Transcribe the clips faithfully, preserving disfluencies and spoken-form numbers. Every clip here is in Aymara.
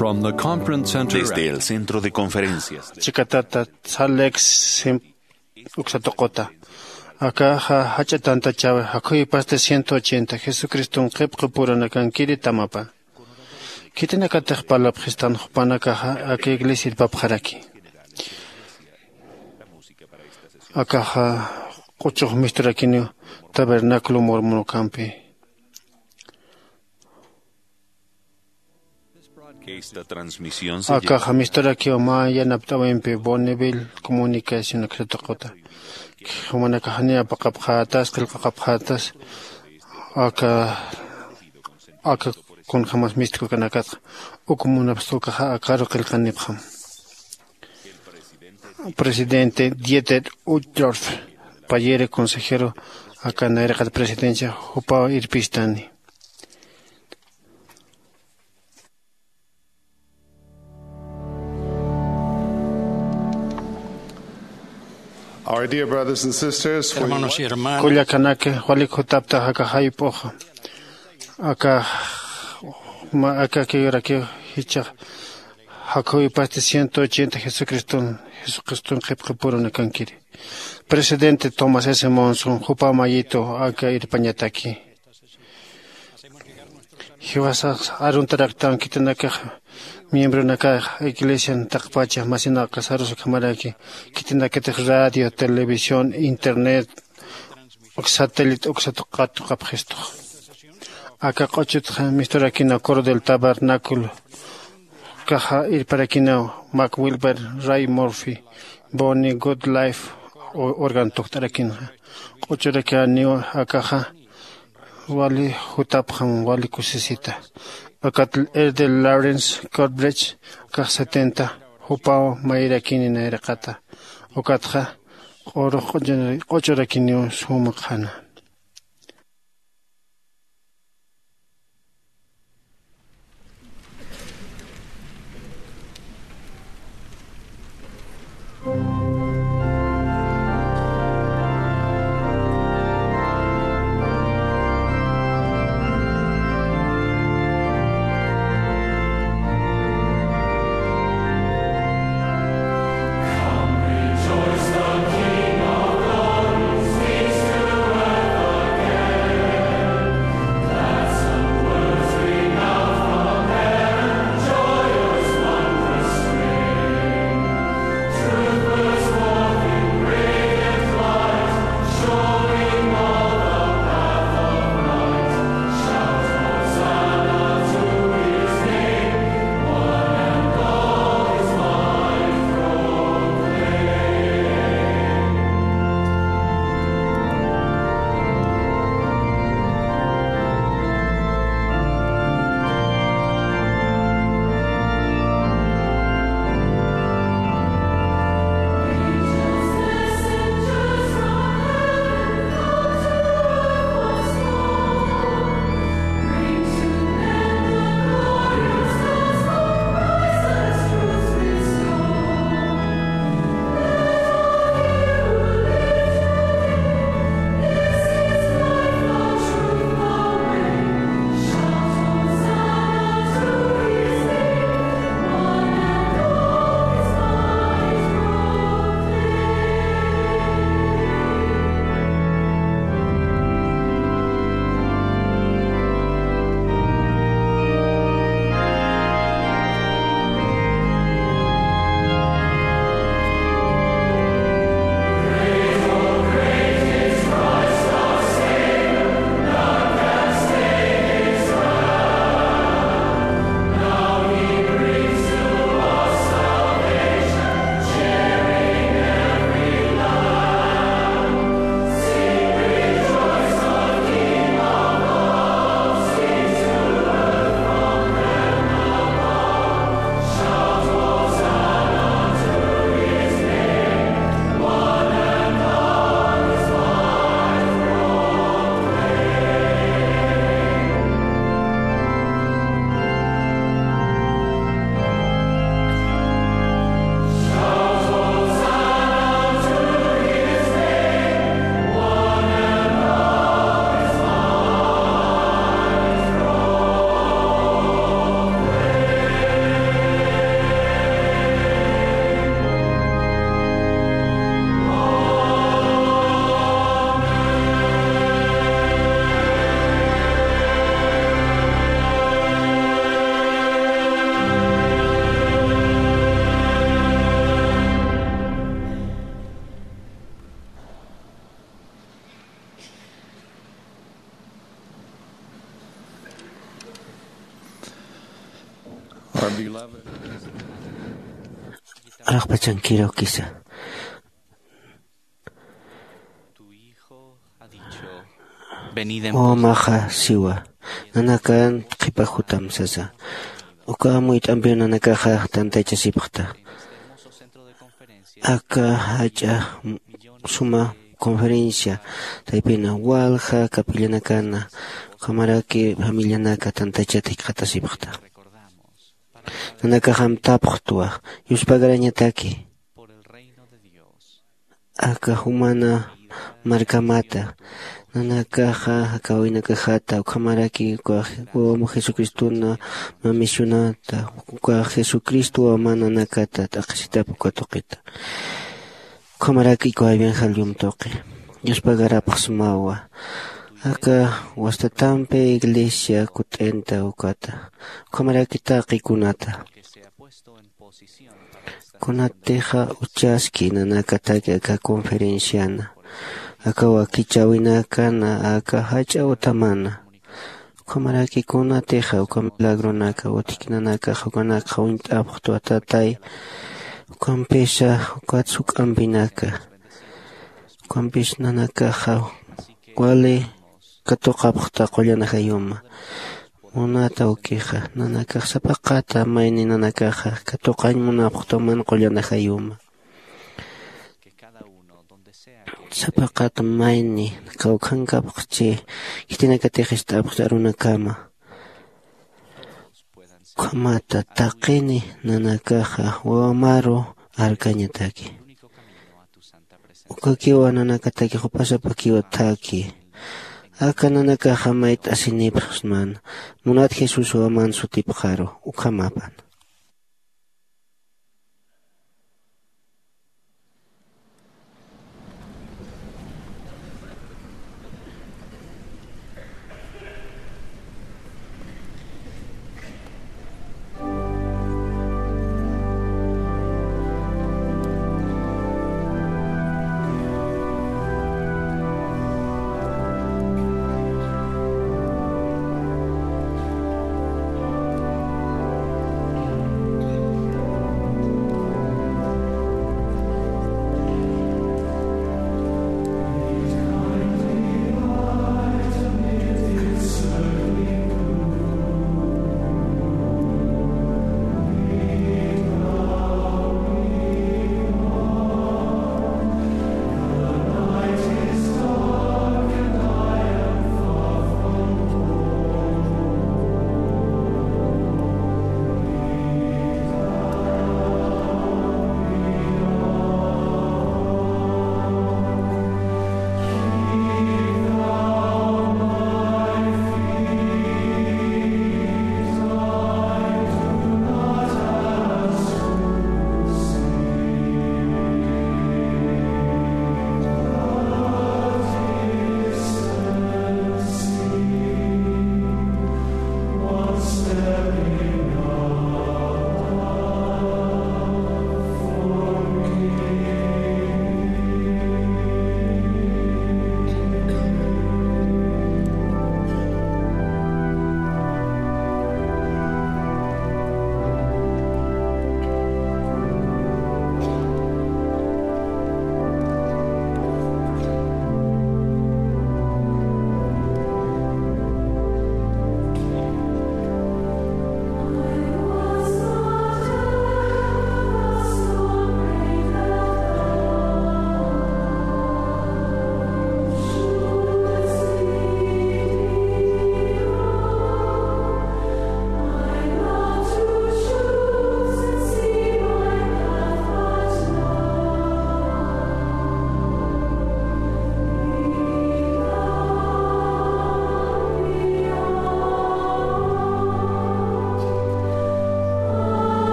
From the conference center. Desde el centro de conferencias. Chikatata, Salt Lake Sim-, uksa tuquta. Akaxa jach'a tantachawi, jakhuypasti ciento ochenta, Jesucriston qhipqi purunakankiri tamapan. Khitinakatix parlapxistan jupanakaxa aka iglesia irpapxaraki. Akaxa q'uchux misturakiniw tabernáculo mormonokampi. Esta transmisión se Akaxa misturakiw mä yanapt'awimpi Bonneville Comunicación uksa tuquta. Jumanakax janiw apaqapxätas, qillqaqapxätas, aka, aka kunjämas mistkukanakatxa, uk munapxta ukaxa akaru qillqanipxam. Presidente Dieter Uchtdorf, payïri consejero, aka nayraqat presidencia, jupaw irpistani. Our dear brothers and sisters, we Hermanos y hermanas, Kullakanaki, walik jutapta aka jayp'uxa. Aka, ma, aka kirakiw jichhax jakhuypasti ciento ochenta Jesucriston, Jesucriston qhipqi purunakankiri. Presidente Thomas S. Monson, jupa mayitu aka irpañataki. Jiwasax aruntaraktan khitinakax miembronakax iglesian taqpacha masinakax arusukhamaraki, khitinakatix radio, televisión, internet, uk satélite, uk satuqatuqapxistux. Aka q'uchutxa misturakinaw Coro del Tabernáculo, kaxa irparakinaw Mac Wilber, Ray Murphy, Bonnie Goodlife, o-, organ tukt'arakinxa. Q'uchurakiniw akaxa, wali jutapxam, wali kusisita. Ukat Elder Lawrence Corbridge, kax setenta, jupaw mayirakini nayraqata. Ukatxa, q'urux q'uchura-, q'uchurakiniw suma qhana. Araqpachankirukisa. Wawamaxa siwa, nanakan qhipa jutam sasa. Uka amuyt'ampiw nanakaxa tantachasipxta. Aka jach'a suma conferencia taypina walja capillanakana, ukhamaraki familianaka tantachat jikxatasipxta. Nanakaxam tapxtwa, yuspagarañataki. Aka jumana markamata, nanakaxa aka wawinakajata, ukhamaraki uka wawamu Jesucristona mamisunata, uka Jesucristo wawaman nanakata t'aqhisitap uka tuqita. Ukhamaraki uka evangelio tuqi yuspagarapxsmawa. Aka wastatampi iglesia kut'inta ukata, ukhamaraki taqikunata. Kunatixa uchaski nanakataki aka conferenciana, aka wakichäwinakana aka jach'a utamana. Ukhamaraki kunatixa uka milagronaka utjki nanakaxa ukanakxa uñt'apxtwa Tatay. Ukampisa ukat suk'ampinaka, ukampis nanakaxa wali katuqapxta qullan ajayuma. Munata ukixa nanakax sapaqata mayni nanakaxa katuqañ munapxta man qullan ajayuma. Sapaqata mayni kawkhankapxchi khitinakatix ist'apxta arunakama. Ukhamata taqini nanakaxa wawamaru arkañataki. Ukakiwa nanakataki jupasapakiwa thaki. Aka nanakaxa mayt'asinipxsman, munat Jesús wawaman sutipxaru ukhamapan.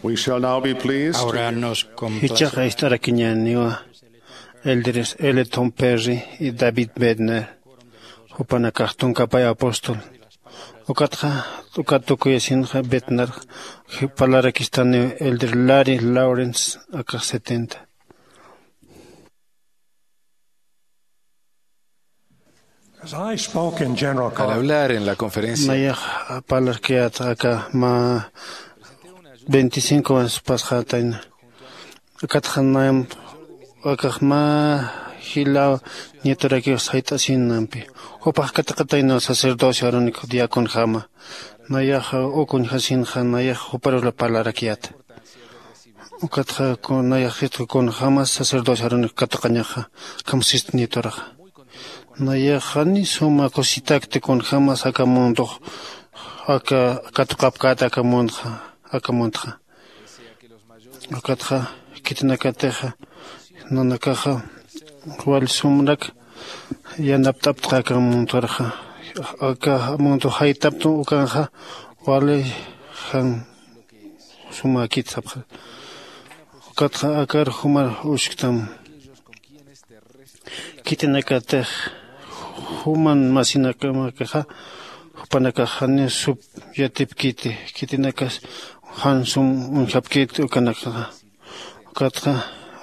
We shall now be pleased to Ahora nos complace. Jichhaxa ist'arakiñäniwa Elderes L. Tom Perry y David Bednar, jupanakax tunkapay apóstol. Ukatxa, ukat tukuyasinxa Bednar, parlarakistaniw Elder Larry Lawrence, akax setenta. As I spoke in general Al conference, hablar en la conferencia, nayax parlarkayät aka mä veinticinco años pasxätayna. Akatxa naymp akax mä jilaw nietorakiw sayt'asinampi. Jupax katiqatayna sacerdocio Aarónico diaconjama. Nayax uka uñjasinxa nayax juparux parlarakayät. Ukatxa ku-, nayax jitku kunjämas sacerdocio Aarónico katuqañaxa, akham sist nietoraxa. Nayax jani suma kusitakti kunjämas aka mundox, aka katuqapkät aka mundxa, aka mundxa. Ukatxa khitinakatixa nanakaxa wal sumrak yanapt'aptxa aka mundxarxa. Aka mundo jaytaptu ukanxa wali jan sumäkit sapxi. Ukatxa akar jumar usktam. Khitinakatix juman masinakamakixa, jupanakax janiw sup yatipkiti, khitinakas jan sum uñjapkiti ukanakaxa. Ukatxa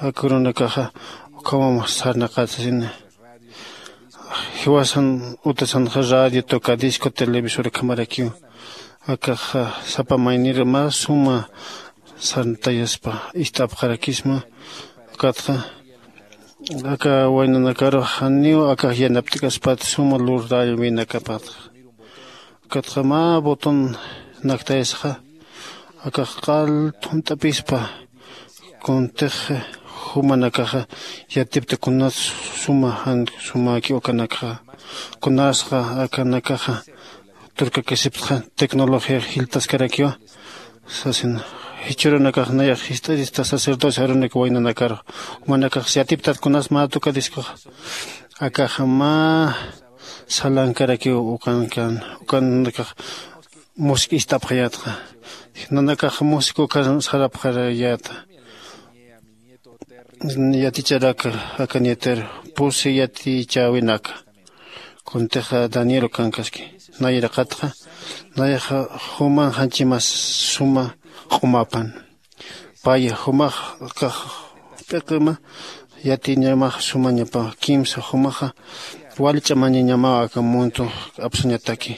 aka urunakaxa ukhamam sarnaqatasina. Jiwasan utasanxa radio, tocadisco, televisor ukhamarakiw. Akaxa sapa maynir mä suma sarntayaspa ist'apxarakisma. Ukatxa aka waynanakarux janiw akax yanapt'kaspat suma lurallwinakapatxa. Ukatxa mä botón naktayasxa, akax q'al thunt'apispa. Kuntix jumanakaxa yatipta kunas suma jan sumäki ukanakxa. Kunasxa akanakaxa turkakasiptxa tecnología jiltaskarakiwa. Sasin, jichhürunakax nayax jist'arista sacerdocio Aarónico waynanakarux. Jumanakax yatiptat kunas mä tocadiscoxa. Akaxa mä salankarakiw ukankan, ukanakax música ist'apxayätxa. Nanakax música ukan sarapxarayäta. Yaticharak aka nieter pusi yatichäwinaka. Kuntixa Daniel ukankaski. Nayraqatxa, nayaxa juman janchimas suma q'umapan. Paya jumax kax p'iqima yatiñamax sumañapa kimsa jumaxa wali ch'amañañamaw aka mundo apsuñataki.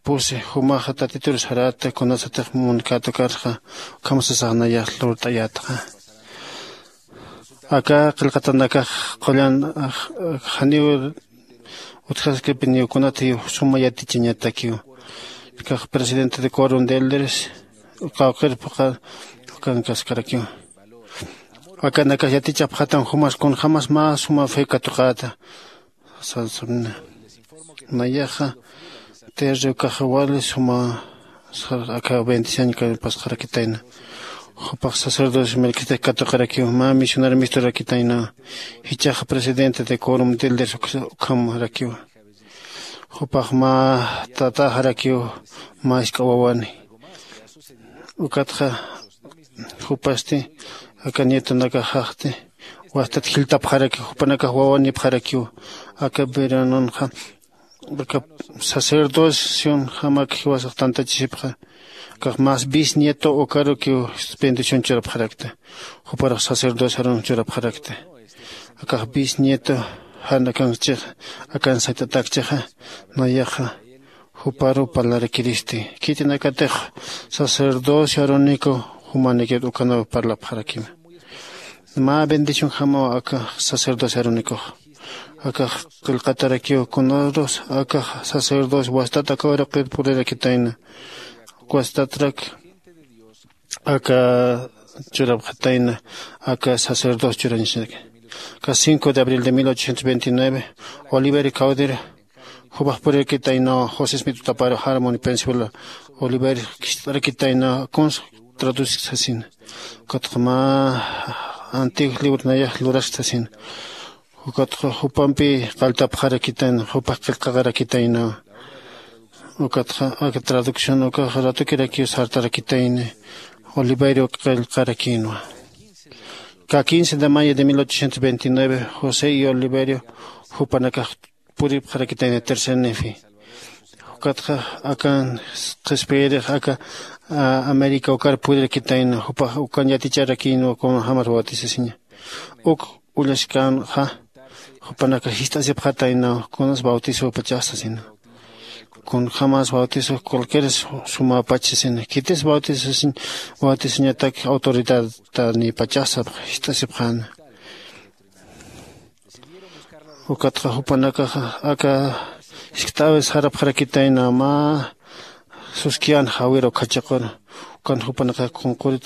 Pusi jumaxa Tatitur sarata kunasatix munkatukarxa ukham sasax nayax lurt'ayätxa. Aka qillqatanakax qullan, ah, janiw utjaskipiniw kunatiw suma yatichañatakiw. Kax presidente de quórum de elders, qawqir phuqha ukankaskarakiw. Akanakax yatichapxatan jumas kunjamas mä suma fe katuqäta. Sansumina. Nayaxa, terriw kaxa wali suma, sa-, aka bendición kay pasxarakitayna. Jupax sacerdocio Melquisedec katuqarakiw, mä misionar misturakitayna. Jichhaxa presidente de quórum de elders uk-, ukhamarakiw. Jupax mä tataxarakiw, mä isk'a wawani. Ukatxa, jupasti, aka nietonakaxaxti, wastat jiltapxaraki, jupanakax wawanipxarakiw, aka veranonxa, aka sacerdocionjamak jiwasax tantachisipxa, kax más bisnieto ukarukiw bendición churapxarakta, juparux sacerdocio Aarón churapxarakta. Akax bisnieto jan akanchix, akan sayt'atakchixa, nayaxa, juparu parlarakiristi. Khitinakatix sacerdocio Aarónico jumanikit ukanaw parlapxarakima. Mä bendicionjamaw aka sacerdocio Aarónicox. Akax qillqatarakiw kunarus, akax sacerdocio wastat aka uraqir purirakitayna. Wastatrak aka churapxatayna, aka sacerdocio churañasinaka. Aka cinco de abril de mil ochocientos veintinueve, Oliver Cowdery, jupax purirakitayna José Smith Utaparo Harmony, Pensilvania, Oliver kist'arakitayna kuns traducir sasina. Ukatxa mä antiguo libro nayax lurask sasina. Ukatxa jupampi qalltapxarakitayna, jupax qillqaxarakitayna. Ukatxa aka traducción ukax ratukirakiw sartarakitayni. Oliverio qillqarakïnwa. Ka quince de mayo de mil ochocientos veintinueve, josé y oliverio jupanakax puripxarakitayna tercer nefi. Ukatxa akan qhispiyirix aka américa ukar purirakitayna jupax ukan yaticharakïnwa kunjämas bautisasiña. Uk ullashkänxa jupanakax jist'asipxataynaw kunas bautisopachas sasina. Kunjämas bautiso cualquier sumäpach sasina khitis bautisasiñ bautisañatak autoridatanïpachas sapx jist'asipxäna. Ukatxa jupanakaxa aka jiskt'äwi sarapxarakitayna mä suskiyän jawir ukhachiqur. Ukan jupanakax kunqurit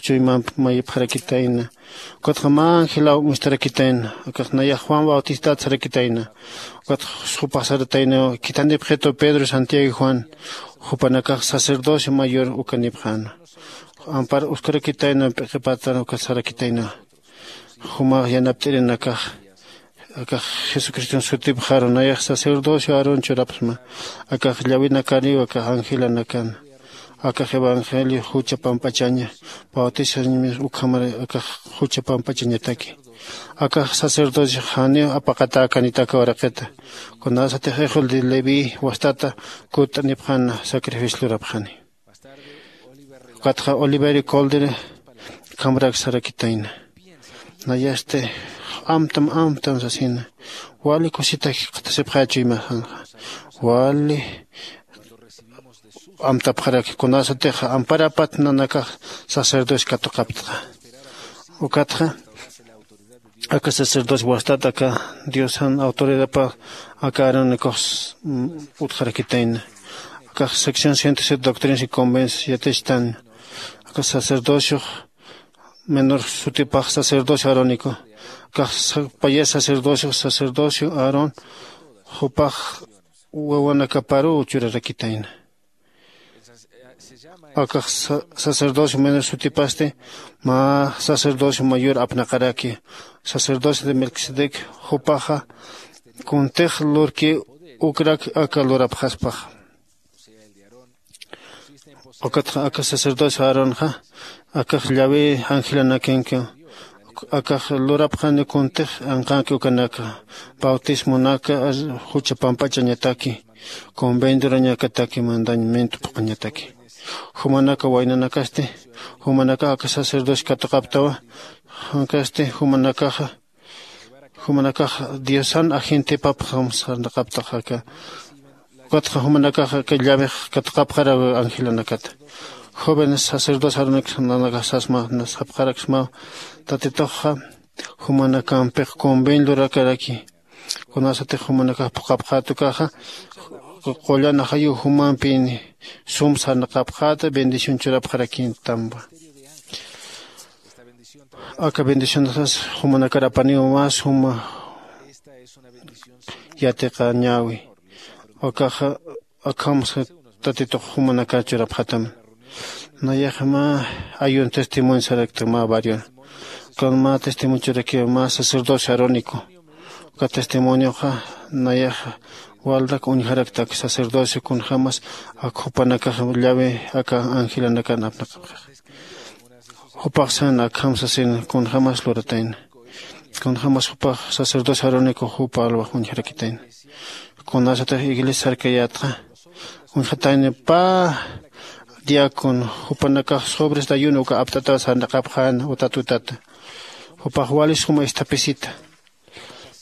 chuymamp mayipxarakitayna. Ukatxa mä angelaw uñstarakitayna. Akax nayax juan bautistat sarakitayna. Ukatxa jupax sarataynaw khithanipxitu pedro santiago y juan. Jupanakax sacerdocio mayor ukanipxäna. Ampar uskarakitayna p'iqipatan ukat sarakitayna. Jumax yanapt'irinakax akax jesucriston sutipxaru nayax sacerdocio aarón churapxsma. Akax llawinakariw akax angelanakan akax evangelio jucha pamp'achaña bautisañmis ukhamar akax jucha pamp'achañataki. Akax sacerdocio janiw apaqatäkanitaka uraqita kunasatix ejol de leví wastata kutt'anipxäna sacrificio lurapxani. Ukatxa oliverio colder kamrak sarakitayna. Nayasti amtam amtam sasina wali kusitak qhatasipxächu imasanxa wali amtapxaraki kunasatix amparapat nanakax sacerdocio katuqaptxa. Ukatxa aka sacerdocio wastat aka diosan autoridadpa aka aarón ukux utjarakitayna. Akax sección ciento siete doctrinas y convences yatichtan. Aka sacerdociox menor sutipax sacerdocio aarónico. Akax payas sacerdociox sacerdocio aarón jupax wawanakaparuw churarakitayna. Akax sacerdocio menor sutipasti mä sacerdocio mayor apnaqaraki sacerdocio de melquisedec. Jupaxa kuntix lurki ukrak aka lurapxaspaxa. Ukatxa aka sacerdocio aaronxa akax llawi angelanakanki akax lurapxani kuntix anqanki ukanaka bautismonaka jucha pamp'achañataki convendurañakataki mandañmintu phuqañataki. Jumanaka waynanakasti jumanakax aka sacerdocio katuqaptawa. Jankasti jumanakaxa jumanakax diosan agentepapxam sarnaqaptax aka ukatxa jumanakax aka llawix katuqapxaraw angelanakata. Jóvenes sacerdoce aroniksa nanakax sasma sapxaraksmaw tatituxxa jumanakampix conven lurakaraki. Kunasatix jumanakax phuqapxäta ukaxa qullan ajayuw jumampin sum sarnaqapxäta bendición churapxarakintampa. Aka bendicionaxas jumanakar apaniw mä suma yatiqañäwi. Akaxa akham tatitux jumanakar churapxatam. Nayaxa mä ayun testimonio sarakta mä barrion. Ukan mä testimonio churakiw mä sacerdocio arónico. Uka testimonioxa nayaxa walrak uñjarakta aka sacerdocio kunjämas ak jupanakax llawi aka angelanakan apnaqapxix. Jupax sän akham sasin kunjämas luratayna kunjämas jupax sacerdocio arónico jupa alwax uñjarakitayna. Kunasatix iglesia sarkayätxa uñjatayna pä diácono jupanakax sobres dayuno uka apt'ataw sarnaqapxän utat utata. Jupax wali suma isthapisita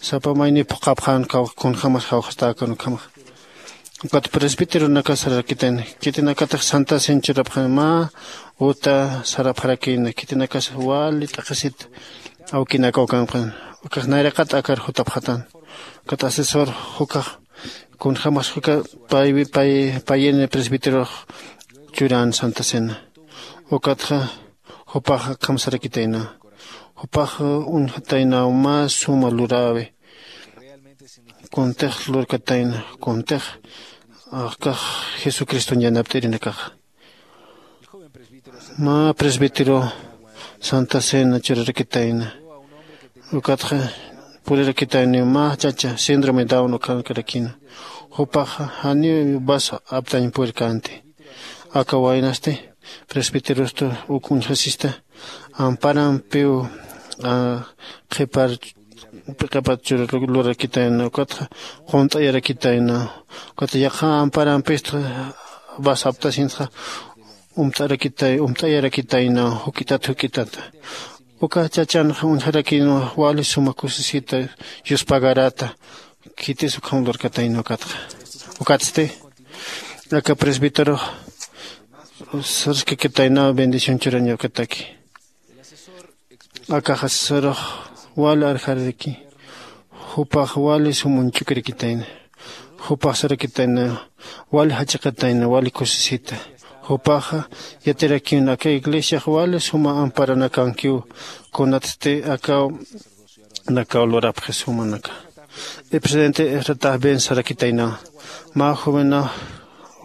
sapa mayniw phuqhapxän kunjämas jawxastäkan ukhamax. Ukat presbíteronakas sararakitayna khitinakatix santa cena churapxän mä uta sarapxarakïna khitinakas wali t'aqhisit awkinaka ukanpxän. Ukax nayraqat akar jutapxatän. Ukat asesor jukhax kunjämas juka payini presbíterox churän santa cena. Ukatxa jupax akham sarakitayna. Jupax uñjataynaw mä suma luräwi kuntix lurkatayna kuntix akax jesucriston yanapt'irinakaxa. Mä presbítero santa cena churarakitayna. Ukatxa purirakitayniw mä chacha síndrome down ukankarakïna. Jupaxa janiw vas aptañ purirkänti. Aka waynasti Presbiterostu uk uñjasista amparampiw qhipar p'iqapat churur lurakitayna ukatxa qunt'ayarakitayna. Ukatxa yaqha amparampistxa basaptasintxa umt'arakitay umt'ayarakitayna juk'itat juk'itata. Uka chachanxa uñjarakïnwa wali suma kusisita yuspagarata. Khitis ukham lurkatayna ukatxa ukatsti aka presbíterox sarskakitaynaw bendición churañawkataki. Akaxa sasarox wali arjararaki jupax wali sum uñch'ukirakitayna. Jupax sarakitayna wali jach'aqatayna wali kusisita. Jupaxa yatirakiwna aka iglesiax wali suma amparanakankiw kunatsti akaw nakaw lurapxi sumanaka. Presidente esratax bien sarakitaynawa mä juvena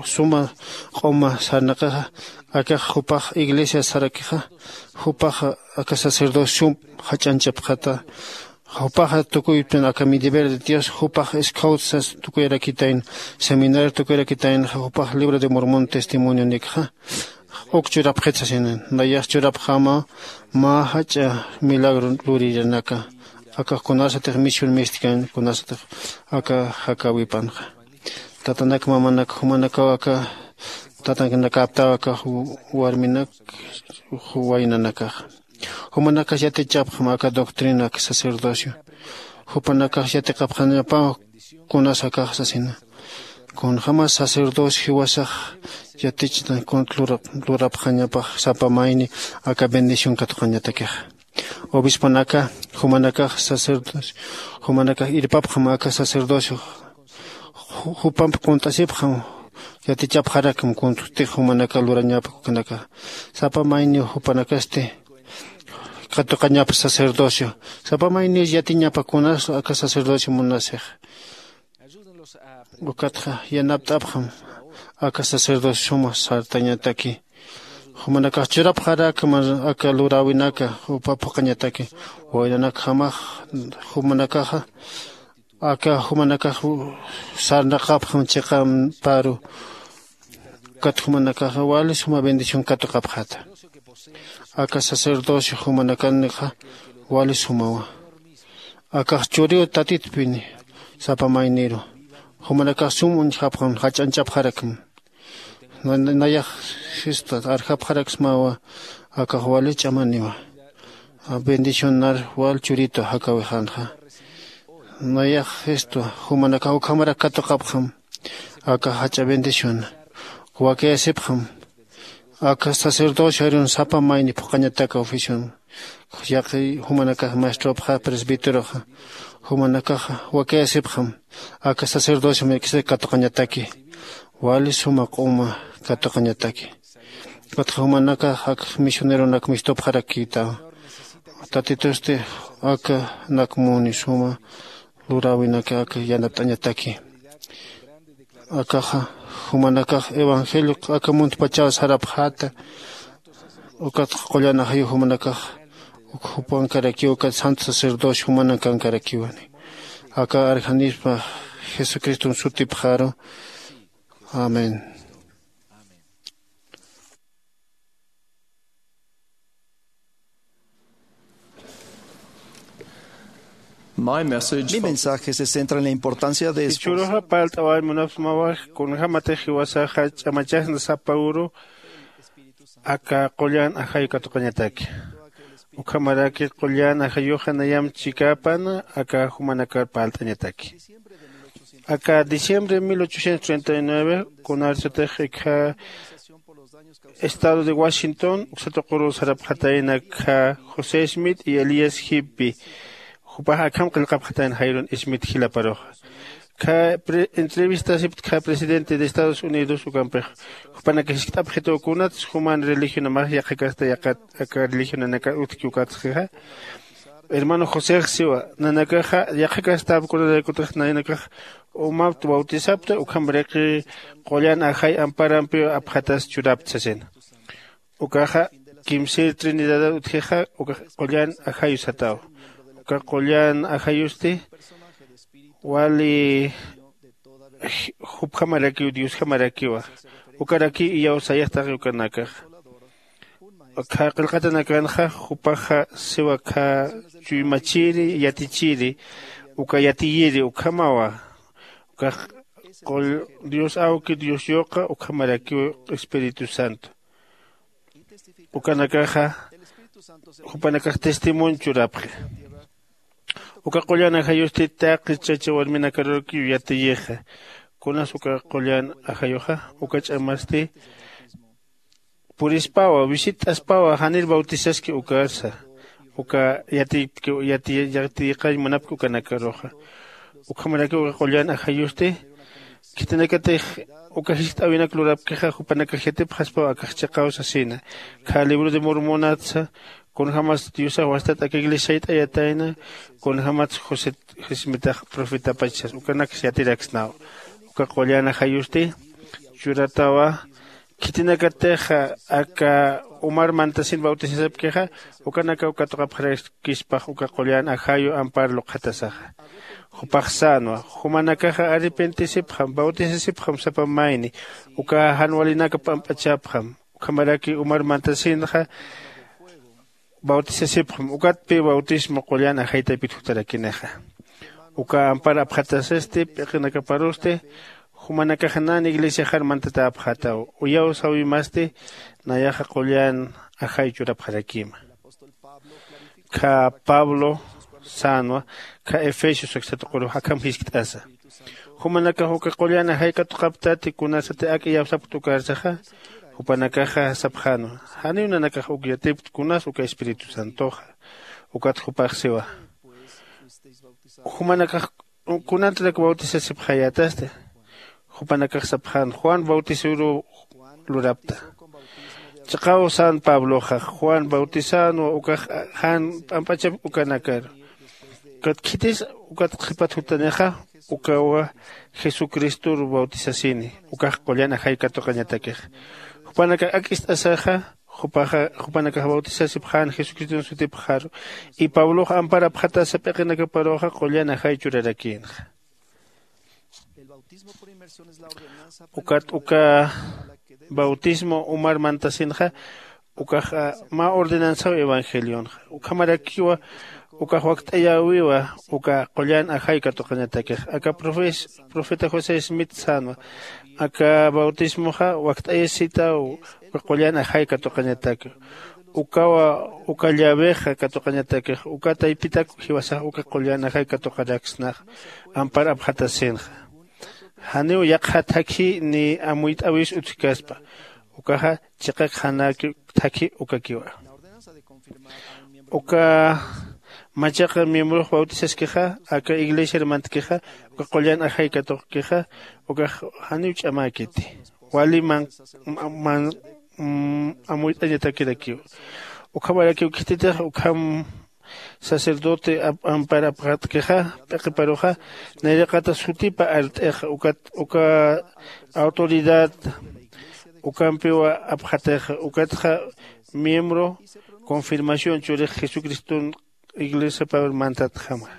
suma q'uma sarnaqaxa akax jupax iglesia sarakixa jupax aka sacerdocio sum jach'anchapxata. Jupaxa tukuypin aka mi deber de dios jupax scout sas tukuyarakitayna seminario tukuyarakitayna jupax libro de mormón testimonio nikxa uk churapxit sasina. Nayax churapxama mä jach'a milagro luriranaka akax kunasatix mision mistkan kunasatix aka jakawipanxa. Tatanak mamanak jumanakaw aka tatanakaptaw aka warminak waynanakaxa jumanakax yatichapxam aka doctrina aka sacerdocio jupanakax yatiqapxañapaw kunas akax sasina. Kunjämas sacerdocio jiwasax yatichna kunt lurapxañapax sapa mayni aka bendición katuqañatakixa. Obisponaka jumanakax sacerdocio jumanakax irpapxam aka sacerdocio jupamp qunt'asipxam yatichapxarakam kuntutix jumanaka lurañapa ukanaka sapa mayniw jupanakasti katuqañapa sacerdocio sapa mayniw yatiñapa kunas aka sacerdocio munasix. Ukatxa yanapt'apxam aka sacerdocio suma sartañataki jumanakax churapxarakam aka luräwinaka jupa phuqañataki waynanakjamax jumanakaxa aka jumanakax sarnaqapxam chiqamparu. Ukat jumanakaxa wali suma bendición katuqapxata. Aka sacerdocio jumanakanxa wali sumawa. Akax churiw tatitpini sapa mayniru jumanakax sum uñjapxam jach'anchapxarakam. Nayax jista arjapxaraksmawa. Akax wali ch'amaniwa bendicionar wal churitu jakawixanxa. Nayax jistwa jumanakax ukhamarak katuqapxam. Aka jach'a bendición wakiyasipxam. Aka sacerdocio arun sapa mayni phuqañataka oficion yaqi jumanakax maestropxa presbíteroxa jumanakaxa wakiyasipxam. Aka sacerdocio mirkisa katuqañataki wali suma q'uma katuqañataki. Ukatxa jumanakax ak misioneronak mistupxarakïtaw tatitusti aka nak muni suma luräwinaka aka yanapt'añataki. Akaxa jumanakax evangelio aka muntpachaw sarapxäta. Ukatxa qullan ajayu jumanakax uk jupankarakiw ukat santo sacerdocio jumanankarakiwani aka arjanispa jesucriston sutipxaru. Amén. Mi mensaje se centra en la importancia de esforzar. Jichhüruxa parlt'awañ munapxsmawa kunjämatix jiwasaxa ch'amachasna sapa uru aka qullan ajayu katuqañataki. Ukhamaraki qullan ajayuxa nayamp chikäpan aka jumanakar parlt'añataki. Aka diciembre mil ochocientos treinta y nueve kunarsatix ikha estado de washington uksatuquru sarapxatayna akha josé smith y elías jippi. Jupax akham qillqapxatayna jayrun smith jilaparuxa. Kha entrevistasiptkha presidente de estados unidos ukampix jupanaka jiskt'apxituw kunats juman religionamax yaqhakasta yaqat aka religionanaka utjki ukatsxixa. Hermano josex siwa nanakaxa yaqhakastap kunaraykutix naynakax umapt bautisapta ukhamraki qullan ajay amparampiw apxatas churapta sasina. Ukaxa kimsir trinidadar utjixa ukax qullan ajayu sataw. Uka qullan ajayusti wali jupjamarakiw diosjamarakiwa. Ukarakiw iyawsayaxtaxi ukanakaxa Qillqatanakanxa jupaxa siwa kha chuymachiri yatichiri uka yatiyiri ukhamawa. Ukax dios awki dios yuqa ukhamarakiw espíritu santo. Ukanakaxa jupanakax testimonio churapxi. Uka qullan ajayusti taqi chacha warminakarukiw yatiyixa. Kunas uka qullan ajayuxa uka ch'amasti purispawa visit'aspawa janir bautizaski ukarsa uka yatiyqañ munapki ukanakaruxa. Ukhamarakiw uka qullan ajayusti khitinakatix uka jiskt'äwinak lurapkixa jupanakax yatipxaspaw akax chiqaw sasina. Kha libro de mormonatsa kunjämas diosax wastat aka iglesia sayt'ayatayna kunjämats josé jismitax profetapach sas ukanaks yatiraksnaw. Uka qullan ajayusti churatawa khitinakatixa aka umar mantasin bautisasipkixa ukanakaw katuqapxarakispax uka qullan ajayu ampar luqhatasaxa. Jupax sänwa jumanakaxa arrepentisipxam bautisasipxam sapa mayni uka jan walinaka p'amp'achapxam ukhamaraki umar mantasinxa bautisasipxam ukatpi bautismo qullan ajaytaypit jutarakinxa. Uka ampar apxatasasti p'iqinakaparusti jumanakaxa nan iglesiaxar mantatäpxätaw. Uyaw sawimasti nayaxa qullan ajay churapxarakima. Kha pablo sänwa kha efesios aksatuqurux akham jiskt'asa jumanakax uka qullan ajay katuqaptati kunasati ak iyawsapkt ukarsaxa. Jupanakaxa sapxänwa janiw nanakax uk yatipkt kunas uka espíritu santoxa. Ukat jupax siwa jumanakax kunantarak bautisasipxayätasti? Jupanakax sapxän juan bautisaruw lurapta. Chiqaw sän pabloxa juan bautisänwa ukax jan p'amp'achap ukanakaru. Ukat khitis ukat qhipat jutanixa ukawa jesucristor bautisasini ukax qullan ajay katuqañatakix. Jupanakax ak ist'asaxa jupaxa jupanakax bautisasipxän jesucriston sutipxaru. Y pablox ampar apxatasa p'iqinakaparuxa qullan ajay churarakïnxa. Ukat uka bautismo umar mantasinxa ukax mä ordenanzaw evangelionxa ukhamarakiwa ukax wakt'ayäwiwa uka qullan ajay katuqañatakix. Aka profeta josé smith sänwa aka bautismoxa wakt'ayasitaw uka qullan ajay katuqañatak. Ukawa uka llavexa katuqañatakix uka taypitak jiwasax uka qullan ajay katuqaraksnax ampar apxatasinxa. Janiw yaqha thakhi ni amuyt'äwis utjkaspa ukaxa chiqak janaki thakhi ukakiwa. Uka machaqa miembrox bautizaskixa aka iglesiar mantkixa uka qullan ajay katuqkixa ukax janiw ch'amäkiti wali man amuyt'añatakirakiw. Ukhamarakiw khititix ukham sacerdote ampar apxatkixa p'iqiparuxa nayraqata sutipa art'ixa ukat uka autoridad ukampiwa apxatixa ukatxa miembro confirmación churix jesucriston iglesiapar mantatjama.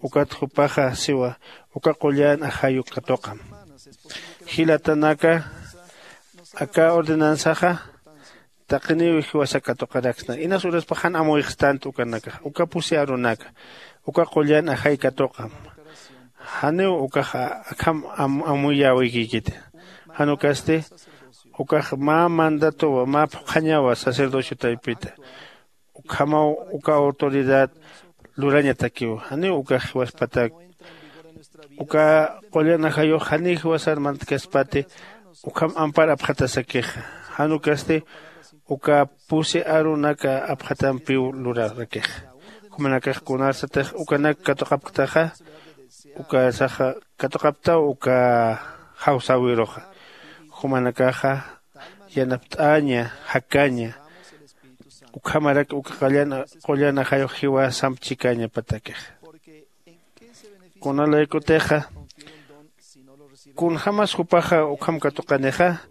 Ukat jupaxa siwa uka qullan ajayu katuqam. Jilatanaka aka ordenanzaxa taqiniw jiwasak katuqaraksna inas uraspax jan amuyxstant ukanakax uka pusi arunaka uka qullan ajay katuqam. Janiw ukax akham amuyäwikïkiti. Jan ukasti ukax mä mandatowa mä phuqhañawa sacerdocio taypita. Ukhamaw uka autoridad lurañatakiw janiw ukax jiwaspatak. Uka qullan ajayux janiw jiwasar mantkaspati ukham ampar apxatasakixa. Jan ukasti uka pusi arunaka apxatampiw lurarakixa. Jumanakax kunarsatix ukanak katuqapktaxa ukarsaxa katuqaptaw uka jawsäwiruxa. Jumanakaxa yanapt'aña jakaña ukhamarak uka qullan ajayux jiwasamp chikañapatakixa. Kunalaykutixa kunjämas jupaxa ukham katuqanixa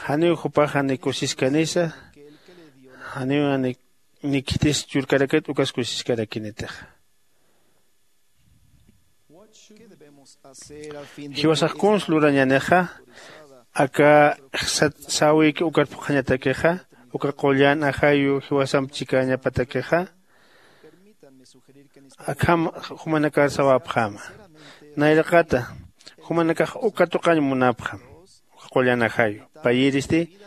janiw jupaxa ni kusiskanisa janiw ni khitis churkarakit ukas kusiskarakinitixa. Jiwasax kuns lurañänixa aka sat säwïki ukar phuqhañatakixa Uka qullan ajayu jiwasamp chikañapatakixa akham jumanakar sawapxäma. Nayraqata jumanakax uka tuqañ munapxam. Uka qullan ajayu payiristi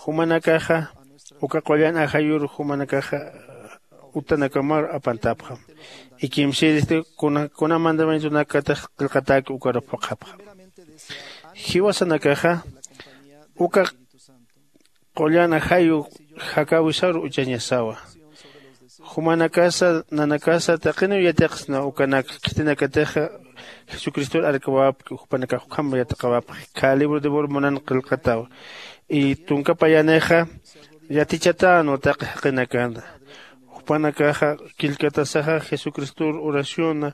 jumanakaxa uka qullan ajayur jumanakaxa utanakamar apantapxam. Ikimsiristi kuna mandamientonakatix qillqatäki ukar phuqhapxam. Jiwasanakaxa uka qullan ajayu jakäwisaru uchañasawa. Jumanakasa nanakasa taqiniw yatiqsna ukanak khitinakatixa jesucristor arkawapki jupanakax ukham yatiqawapxi khä libro de mormonan qillqataw. Y tunka payanixa yatichätänwa taqi jaqinakana. Jupanakaxa killkatasaxa jesucristor oraciona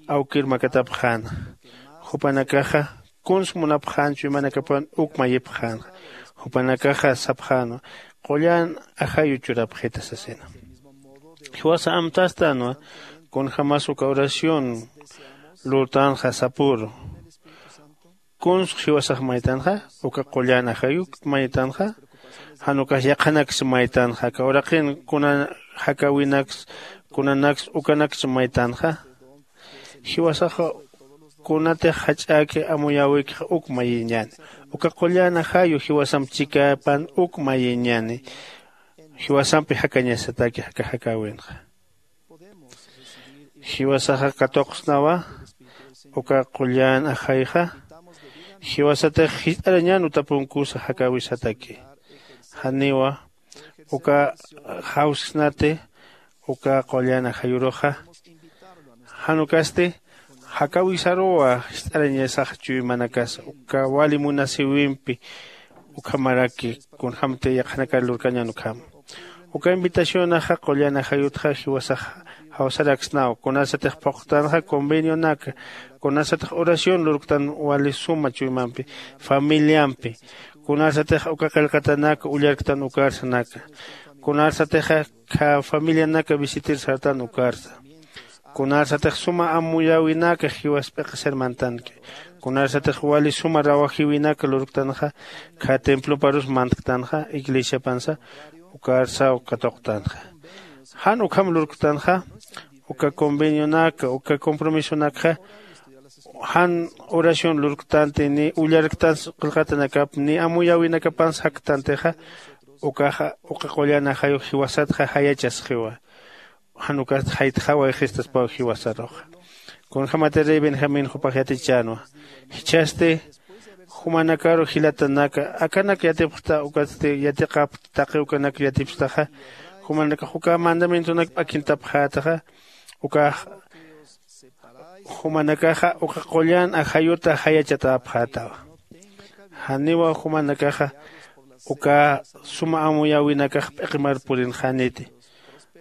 awkir makatapxäna. Jupanakaxa kuns munapxän chuymanakapan uk mayipxänxa. Jupanakaxa sapxänwa qullan ajayu churapxita sasina. Jiwasa amtastänwa kunjämas uka oración lurtanxa sapüru. Kuns jiwasax maytanxa uka qullan ajayuk maytanxa. Jan ukax yaqhanaksa maytanxa aka uraqin kuna jakäwinaksa kunanaksa ukanaksa maytanxa. Jiwasaxa kunatix jach'äki amuyäwikix uk mayiñäni. Uka qullan ajayu jiwasamp chikäpan uk mayiñäni. Jiwasampi jakañasataki aka jakäwinxa. Jiwasaxa katuqsnawa uka qullan ajayxa. Jiwasatix jist'arañän utapunkusa jakäwisataki. Janiwa uka jawsksnati uka qullan ajayuruxa. Jan ukasti jakäwisaruwa jist'arañasax chuymanakasa uka wali munasïwimpi. Ukhamaraki kunjämti yaqhanakar lurkañän ukhama. Uka invitacionaxa qullan ajayutxa jiwasax jawsaraksnaw kunasatix phuqtanxa convenionaka kunasatix oración lurktan wali suma chuymampi familiampi. Kunasatix uka qillqatanak ullarktan ukarsanaka. Kunasatixa khä familianaka visitir sartan ukarsa. Kunarsatix suma amuyäwinaka jiwas p'iqisir mantanki. Kunarsatix wali suma rawajïwinaka lurktanxa khä temploparus mantktanxa iglesiapansa ukarsaw katuqtanxa. Jan ukham lurktanxa uka convenionaka uka compromisonakxa jan oración lurktanti ni ullarktansa qillqatanakap ni amuyäwinakapans jaktantixa ukaxa uka qullan ajayu jiwasatxa jayachasxiwa. Jan ukasti jaytxaway jistaspaw jiwasaruxa. Kunjämati rey benjamín jupax yatichänwa. Jichhasti jumanakaru jilatanaka akanak yatipxta ukatsti yatiqapxta taqi ukanak yatipstaxa jumanakax uka mandamientonak p'akintapxätaxa ukax jumanakaxa uka qullan ajayuta jayachatäpxätawa. Janiwa jumanakaxa uka suma amuyäwinakax p'iqimar purinxäniti.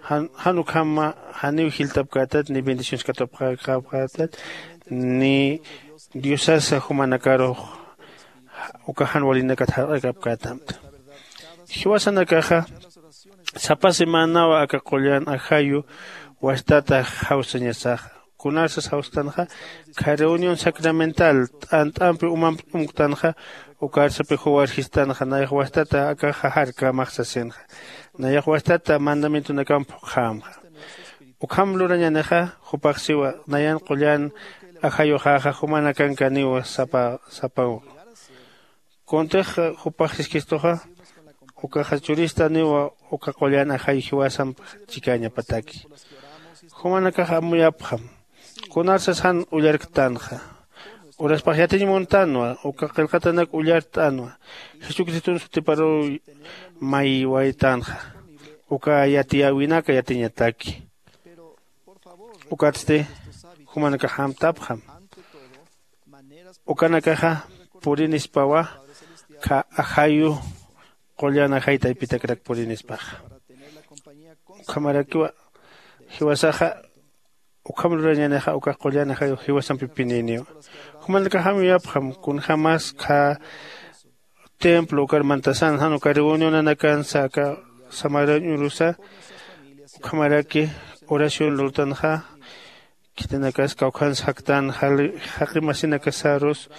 Jan ukhama janiw jiltapkätat ni bendiciones katupxapxätat ni diosasa jumanakarux uka jan walinakat jarq'akapkätamta. Jiwasanakaxa sapa semanawa aka qullan ajayu wastata jawsañasaxa. Kunarsas jawstanxa khä reunión sacramental t'ant'ampi umamp t'umktanxa ukarsapi juwarjistanxa nayax wastata akaxa jarkämax sasinxa. Nayax wastata mandamientonakamp phuqxämxa. Ukham lurañänixa jupax siwa nayan qullan ajayuxäxa jumanakankäniwa sapa sapaw. Kuntix jupax siskistuxa ukaxa churistaniwa uka qullan ajay jiwasamp chikäñapataki. Jumanakax amuyapxam kunarsas jan ullarktanxa. Uraspax yatiñ muntanwa uka qillqatanak ullart'anwa jesucriston sutiparuw maywaytanxa. Uka yatiyäwinaka yatiñataki. Ukatsti jumanakax amtapxam ukanakaxa purinispawa khä ajayu qullan ajay taypitakrak purinispaxa. Ukhamarakiwa jiwasaxa ukham lurañänixa ukax qullan ajayu jiwasampipinïniwa. Jumanakax amuyapxam kunjämas khä templo ukar mantasan jan uka reunionanakansa aka samarañ urusa ukhamaraki oración lurtanxa. Khitinakas kawkhans jaktan jaqi masinakasarus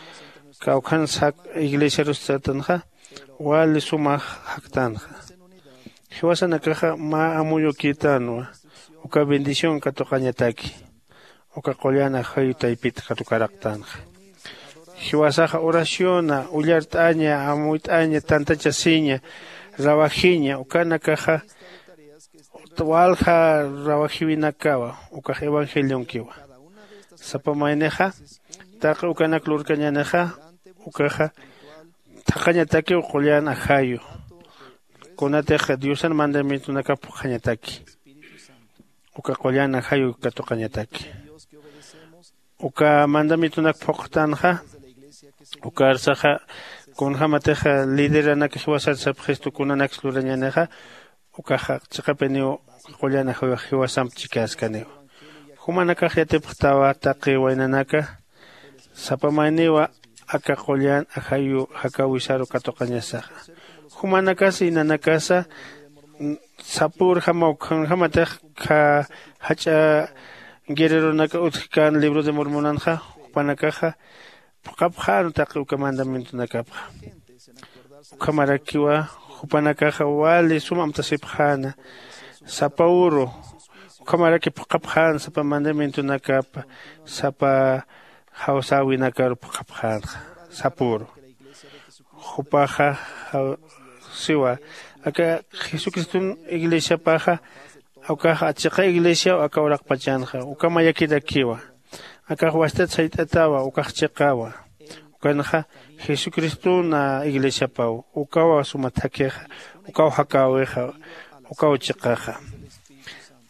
kawkhans jak iglesiarus satanxa wali suma jaktanxa. Jiwasanakaxa mä amuyukïtanwa uka bendición katuqañataki. Uka qullan ajayu taypit katukaraqtanxa. Jiwasaxa oraciona, ullart'aña, amuyt'aña, tantachasiña, rawajiña ukanakaxa walja rawajiwinakawa ukax evangelionkiwa. Sapa maynixa taqi ukanak lurkañänixa ukaxa thaqhañatakiw qullan ajayu. Kunatix diosan mandamientonakap phuqhañataki uka qullan ajayu katuqañataki. Uka mandamientonak phuqtanxa ukarsaxa kunjämatix lideranak jiwasar sapxistu kunanaksa lurañänixa ukaxa chiqapiniw uka qullan ajayu jiwasamp chikäskaniw. Jumanakax yatipxtawa taqi waynanaka sapa mayniwa aka qullan ajayu jakäwisaru katuqañasaxa. Jumanakas inanakasa sapürjamaw kunjämatix jach'a guerreronaka utjkän libro de mormonanxa jupanakaxa phuqhapxän taqi uka mandamientonakapxa. Ukhamarakiwa jupanakaxa wali sum amtasipxäna sapa uru. Ukhamaraki phuqhapxän sapa mandamientonakap sapa jawsäwinakaru phuqhapxänxa sapüru. Jupaxa siwa aka jesucriston iglesiapaxa ukaxa chiqa iglesiaw aka uraqpachanxa uka mayakirakiwa. Akax wastat sayt'atawa ukax chiqawa. Ukanxa jesucriston iglesiapaw ukawa suma thakhixa ukaw jakäwixa ukaw chiqaxa.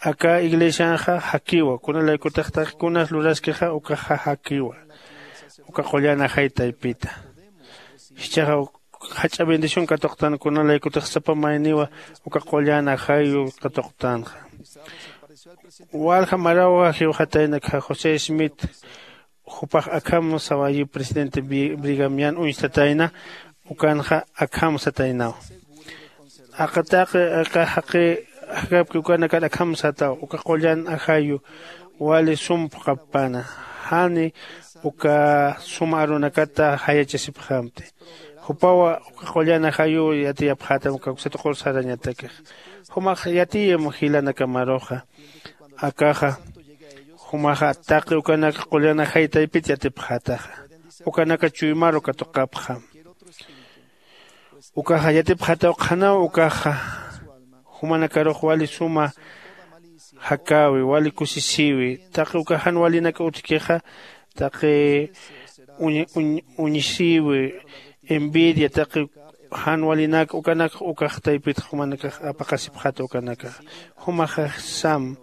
Aka iglesianxa jakiwa kunalaykutix taqi kunas luraskixa ukaxa jakiwa uka qullan ajay taypita. Jichhaxa jach'a bendición katuqtan kunalaykutix sapa mayniwa uka qullan ajayu katuqtanxa. Walja marawa jiwxatayna akha josé smith jupax akham sawayiw presidente brigamian uñstatayna. Ukanxa akham sataynaw aqataqi aka jaqi jakapki ukanakar akham sataw uka qullan ajayu wali sum phuqhappäna. Jani uka suma arunakata jayachasipxamti. Jupawa uka qullan ajayuw yatiyapxätam uka uksa tuqur sarañatakix. Jumax yatiyim jilanakamaruxa akaxa jumaxa taqi ukanak qullan ajay taypit yatipxätaxa. Ukanaka chuymaru katuqapxam. Ukaxa yatipxätaw qhanaw ukaxa jumanakarux wali suma jakäwi wali kusisïwi taqi uka jan walinak utjkixa taqi uñisïwi envidia taqi jan walinak ukanak ukax taypitxa jumanakax apaqasipxäta ukanakaxa. Jumaxa sam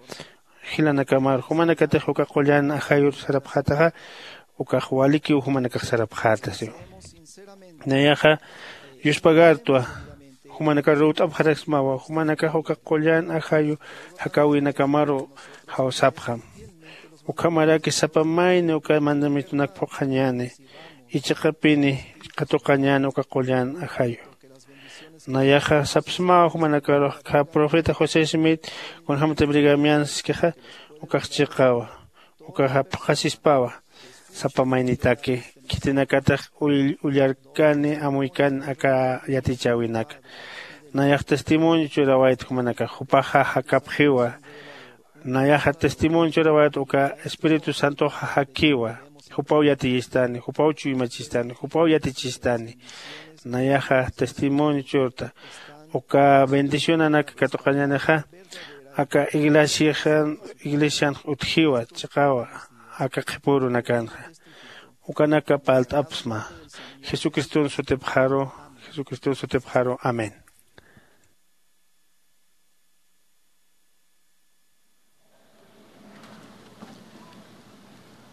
jilanakamaru jumanakatix uka qullan ajayur sarapxätaxa ukax walikiw jumanakax sarapxäta siw. Nayaxa yuspagartwa jumanakar ruwt'apxaraksmawa jumanakax uka qullan ajayu jakäwinakamaru jawsapxam. Ukhamaraki sapa mayni uka mandamientonak phuqhañäni ichiqapini katuqañäni uka qullan ajayu. Nayaxa sapsmawa jumanakarux kha profeta josé smith kunjämati brigamian siskixa ukax chiqawa ukaxa phuqhasispawa sapa maynitaki khitinakatix ullarkani amuykani aka yatichäwinaka. Nayax testimonio churawayta jumanakax jupaxa jakapxiwa. Nayaxa testimonio churawayta uka espíritu santoxa jakiwa jupaw yatiyistani jupaw chuymachistani jupaw yatichistani. Nayaxa testimonio churta uka bendicionanak katuqañänixa aka iglesian iglesian utjiwa chiqawa aka qhipürunakanxa. Ukanaka parlt'apxsma jesucriston sutipxaru jesucriston sutipxaru amén.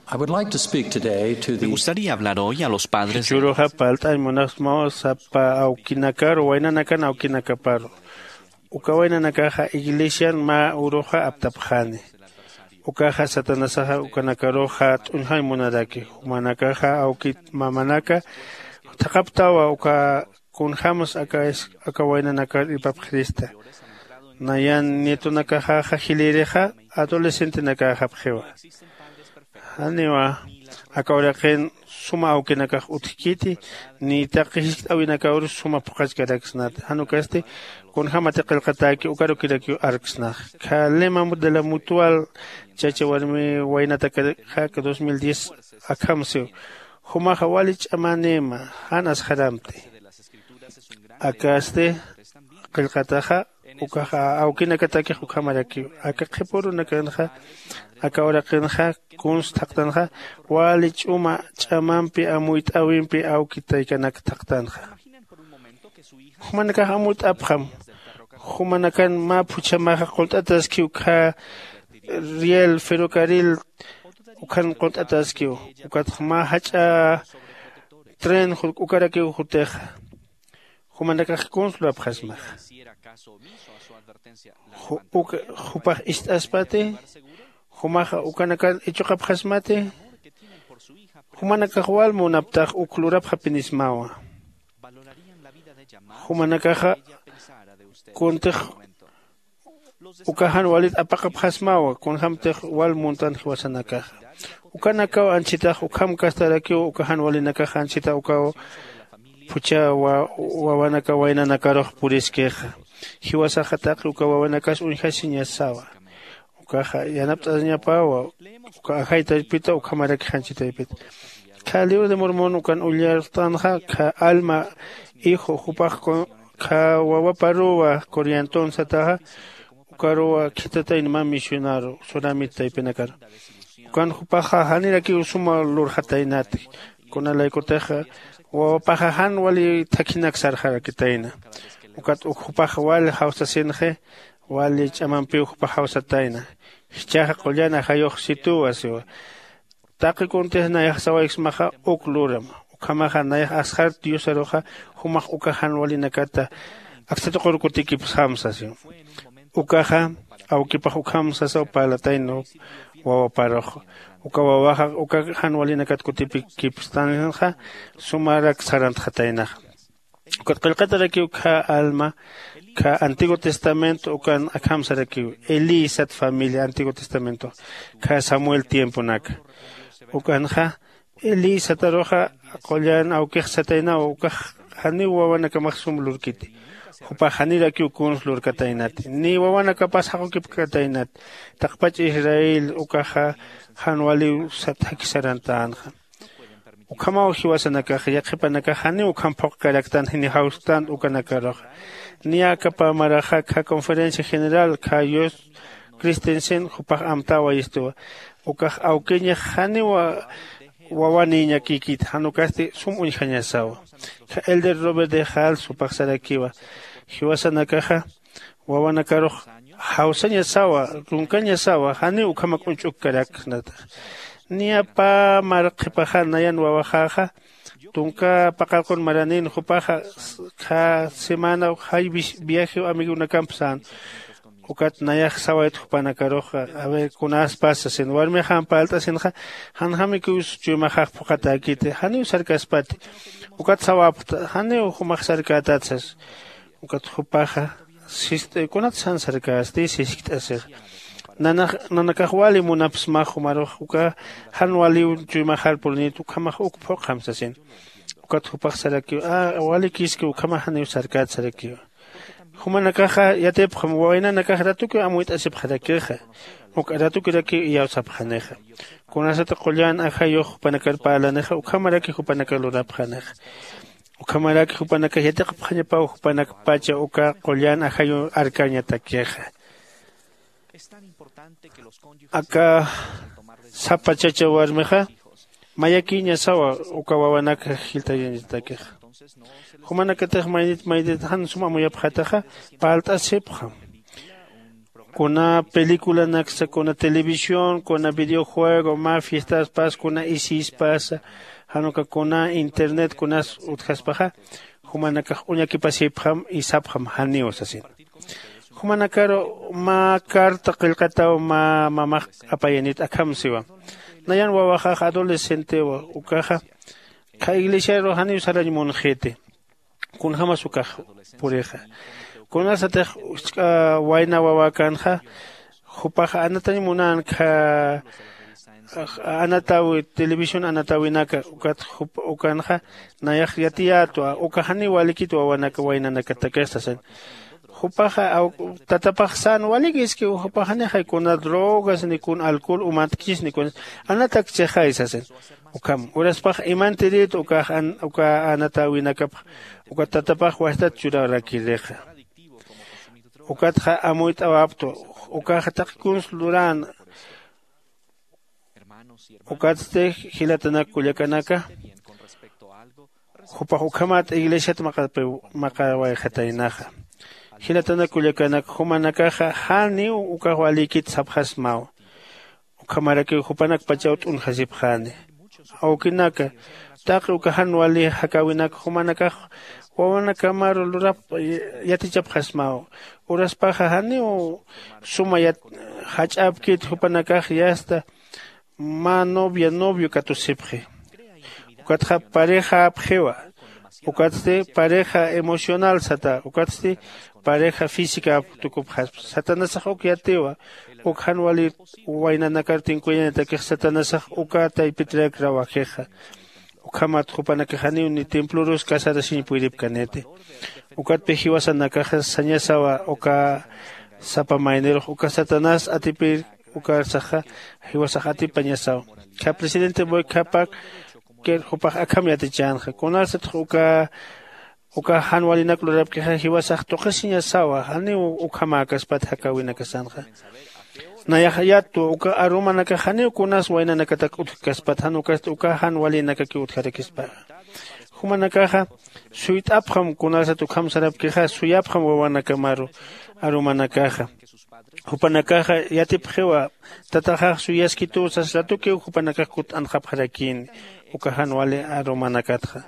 I would like to speak today to the Me gustaría hablar hoy a los padres de Churuxa parlt'añ munaxsmaw sapa awkinakaru waynanakan awkinakaparu. Uka waynanakaxa iglesian mä uruxa aptapxani. Ukaxa satanasaxa ukanakaruxa t'uñjañ munaraki jumanakaxa awkit mamanaka thaqhaptawa uka kunjämas aka waynanakar irpapxirista. Nayan nietonakaxaxa jilïrixa adolescentenakaxapxiwa. Janiwa aka uraqin suma awkinakax utjkiti, ni taqi jiskt'äwinakawru suma phuqhachkaraksnati. Jan ukasti kunjämati qillqatäki ukarukirakiw arksnax. Kha lema de la mutual chacha warmi waynatakaxa dos mil diez akham siw. Jumaxa wali ch'amänïma, jan asxaramti. Akasti qillqataxa ukaxa awkinakatakix ukhamarakiw. Aka qhipürunakanxa aka uraqinxa kuns thaqtanxa wali ch'uma ch'amampi amuyt'äwimpi awki taykanak thaqtanxa. Jumanakax amuyt'apxam. Jumanakan mä phuchhamaxa qullt'ataskiw ukkha riel ferrocarril ukhan qullt'ataskiw. Ukatxa mä jach'a tren ukarakiw jutixa. Jumanakax kuns lurapxasmaxa. Jupax ist'aspati. Jumaxa ukanakan ichuqapxasmati. Jumanakax wal munaptax uk lurapxapinismawa. Jumanakaxa kuntix uka jan walit apaqapxasmawa kunjämtix wal muntan jiwasanakaxa. Ukanakaw anchhitax ukham kastarakiw uka jan walinakax anchhita ukaw phuchha wawanaka waynanakarux puriskixa. Jiwasaxa taqi uka wawanakas uñjasiñasawa. Ukaxa yanapt'añapawa. Uka ajay taypita ukhamarakix anchhi taypita. Kha libro de mormon ukan ullartanxa kha alma hijo jupax kha wawaparuwa corrientón sataxa. Ukaruwa khitataynma misionaru suramit taypinakaru. Ukan jupaxa janirakiw suma lurxataynati. Kunalaykutixa wawapaxa jan wali thakhinak sarxarakitayna. Ukat uk jupax wali jawsasinxi. Wali ch'amampiw jupax jawsatayna. Jichhaxa qullan ajayux situwa siwa. Taqi kuntix nayax sawayksmaxa uk luram. Ukhamaxa nayax asxart diosaruxa jumax uka jan walinakata aksa tuqur kutikipxsam sasiw. Ukaxa awkipax ukham sasaw parlatayna wawaparux. Uka wawaxa uka jan walinakat kutipikipstanxa sumarak sarantxataynaxa. Ukat qillqatarakiw kha alma kha antiguo testamento ukan akham sarakiw. Elí sat familia antiguo testamento kha samuel tiemponaka. Ukanxa elí sataruxa qullan awkix sataynaw ukax janiw wawanakamax sum lurkiti. Jupax janirakiw kuns lurkataynati ni wawanakapas jaqukipkataynati. Taqpach israel ukaxa jan waliw sat jakisarantänxa. Ukhamaw jiwasanakax yaqhipanakax janiw ukham phuqkaraktan jini jawstan ukanakaruxa. Niya aka pä maraxa kha conferencia general kha yus christensen jupax amtäwayistuwa. Ukax awkiñix janiw wawanïñakïkiti jan ukasti sum uñjañasawa. Kha elder robert de hals jupax sarakiwa jiwasanakaxa wawanakarux jawsañasawa runkañasawa janiw ukhamak uñch'ukkaraknatax. Niya pä marqhipaxa nayan wawaxäxa tunka paqallqun maranin jupaxa kha semana jay viajiw amigunakamp sän. Ukat nayax sawayt jupanakarux a ver kunäspas sasin warmixam parlt'asinxa janjamikiw chuymaxax phuqhatäkiti janiw sarkaspati. Ukat sawapxta janiw jumax sarkätät sas. Ukat jupaxa sist'ay kunat san sarkästi siskt'asixa. Nanakax wali munapsmax jumarux uka jan waliw chuymaxar purinit ukhamax uk phuqham sasin. Ukat jupax sarakiw walikiski ukhamax janiw sarkät sarakiwa. Jumanakaxa yatipxam wawaynanakax ratukiw amuyt'asipxarakixa. Uk ratukirakiw iyawsapxanixa. Kunasata qullan ajayux jupanakar parlanixa ukhamaraki jupanakar lurapxanixa. Ukhamaraki jupanakax yatiqapxañapaw jupanakpacha uka qullan ajayu arkañatakixa. Aka sapa chacha warmixa mayakïñasawa uka wawanaka jiltayañatakixa. Jumanakatix maynit maynit jan sum amuyapxataxa parlt'asipxam. Kuna peliculanaksa kuna televisión kuna videojuego mä fiestaspas kuna isïspasa jan uka kuna internet kunas utjaspaxa jumanakax uñakipasipxam y sapxam janiw sasin. Jumanakaru mä carta qillqataw mä mamax apayanit akham siwa. Nayan wawaxax adolescentewa ukaxa kha iglesiaru janiw sarañ munxiti. Kunjämas ukax purixa kunasatix jisk'a wayna wawäkänxa jupaxa anatañ munän kha anatawi televisión anatawinaka ukat ukanxa nayax yatiyätwa uka janiw walikit wawanaka waynanakatakix sasin. Jupaxa tatapax sän walikiskiw jupax janixay kuna drogas ni kun alcohol umantkis ni kun anatakchixay sasin. Ukham uraspax imantirit ukax uka anatawinakapx uka tatapax wasitat churarakirixa. Ukatxa amuyt'awaptwa ukaxa taqi kuns luräna. Ukatsti jilatanak kullakanaka jupax ukhamat iglesiat maqawayxataynaxa. Jilatanak kullakanaka jumanakaxa janiw ukax walïkit sapxasmaw. Ukhamarakiw jupanakpachaw t'unjasipxäni. Awkinaka taqi uka jan wali jakäwinak jumanakax wawanakamaru lurap yatichapxasmaw. Uraspaxa janiw suma jach'äpkit jupanakax yasta mä novia novio katusipxi. Ukatxa parejäpxiwa. Ukatsti pareja emocional sata ukatsti pareja física tukupxaspa satanasax uk yatiwa. Uk jan wali waynanakar tinkuyañatakix satanasax uka taypitirak rawajixa. Ukhamat jupanakax janiw ni templorus casarasiñ puyripkaniti. Ukatpi jiwasanakaxa sañasawa uka sapa maynirux uka satanás atipir ukarsaxa jiwasax atipañasawa. Kha presidente boykapak jupax akham yatichänxa kunarsatix uka uka jan walinak lurapkixa jiwasax tuqisiñasawa janiw ukhamäkaspat jakäwinakasanxa. Nayax yatwa uka arumanakax janiw kunas waynanakatak utjkaspat jan ukasti uka jan walinakakiw utjarakispaxa. Jumanakaxa suyt'apxam kunarsat ukham sarapkixa suyapxam wawanakamaru arumanakaxa. Jupanakaxa yatipxiwa tataxax suyaskituw sas ratukiw jupanakax kutt'anxapxarakïni uka jan wali arumanakatxa.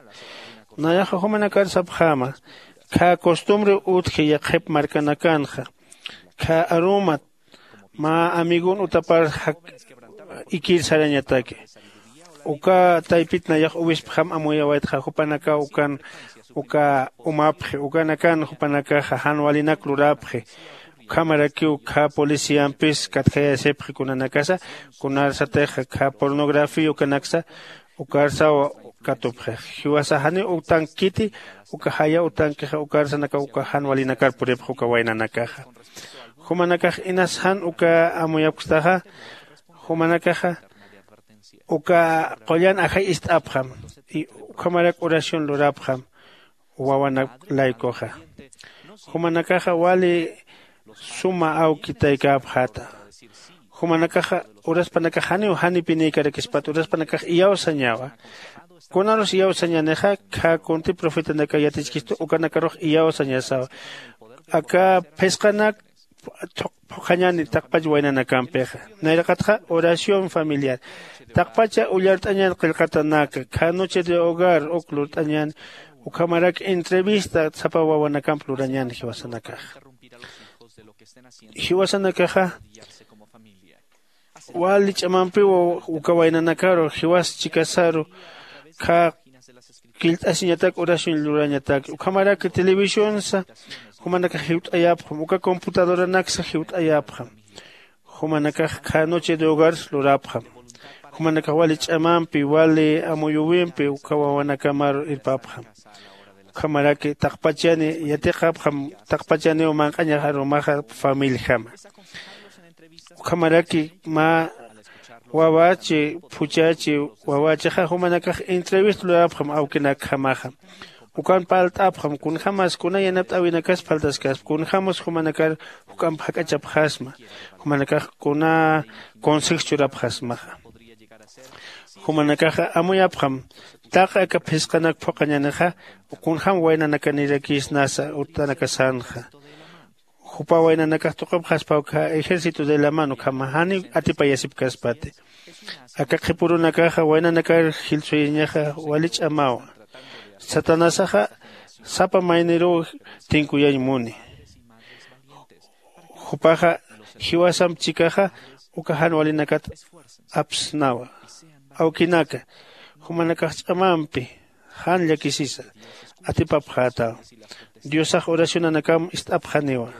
Nayaxa jumanakar sapxäma khä costumbre utji yaqhip markanakanxa khä arumat mä amigon utapar ikir sarañataki. Uka taypit nayax uwispjam amuyawaytxa jupanakaw ukan uka umapxi ukanakan jupanakaxa jan walinak lurapxi. Ukhamarakiw khä policiampis katjayasipxi kunanakasa kunarsatixa khä pornografía ukanaksa ukarsaw katupxix. Jiwasa janiw utankiti uka jaya utankixa ukarsanakaw uka jan walinakar puripx uka waynanakaxa. Jumanakax inas jan uka amuyapkstaxa jumanakaxa uka qullan ajay ist'apxam. Ukhamarak oración lurapxam wawanak laykuxa. Jumanakaxa wali suma awki taykäpxäta. Jumanakaxa uraspanakax janiw janipinïkarakispat uraspanakax iyawsañawa. Kunarus iyawsañänixa khä kunti profetanaka yatichkistu ukanakarux iyawsañasawa. Aka phisqanak phuqhañäni taqpach waynanakampixa. Nayraqatxa oración familiar taqpacha ullart'añän qillqatanaka khä noche de hogar uk lurt'añäni. Ukhamarak entrevista sapa wawanakamp lurañäni jiwasanakaxa. Jiwasanakaxa wali ch'amampiw uka waynanakaru jiwas chikasaru khä killt'asiñatak oración lurañatak. Ukhamaraki televisionsa jumanakax jiwt'ayapxam uka computadoranaksa jiwt'ayapxam. Jumanakax khä noche de hogars lurapxam. Jumanakax wali ch'amampi wali amuyuwimpi uka wawanakamaru irpapxam. Ukhamaraki taqpachani yatiqapxam taqpachaniw manq'añax arumaxa familijama. Ukhamaraki mä wawachi phuchachi wawachixa jumanakax entrevista lurapxam awkinakjamaxa. Ukan parlt'apxam kunjämas kuna yanapt'äwinakas parltaskaspa kunjämas jumanakar juk'amp jak'achapxasma. Jumanakax kuna consejo churapxasmaxa. Jumanakaxa amuyapxam taqi aka phisqanak phuqhañänixa kunjäm waynanakanirakïsnasa utanakasanxa. Jupa waynanakax tuqipxaspa ukkha ejército de la mano ukhama janiw atipayasipkaspati. Aka qhipürunakaxa waynanakar jilsuyañaxa wali ch'amawa. Satanasaxa sapa mayniruw tinkuyañ muni. Jupaxa jiwasamp chikaxa uka jan walinakat apsnawa. Awkinaka jumanakax ch'amampi jan llakisisa. atipapxäta. Diosax oracionanakam ist'apxaniwa.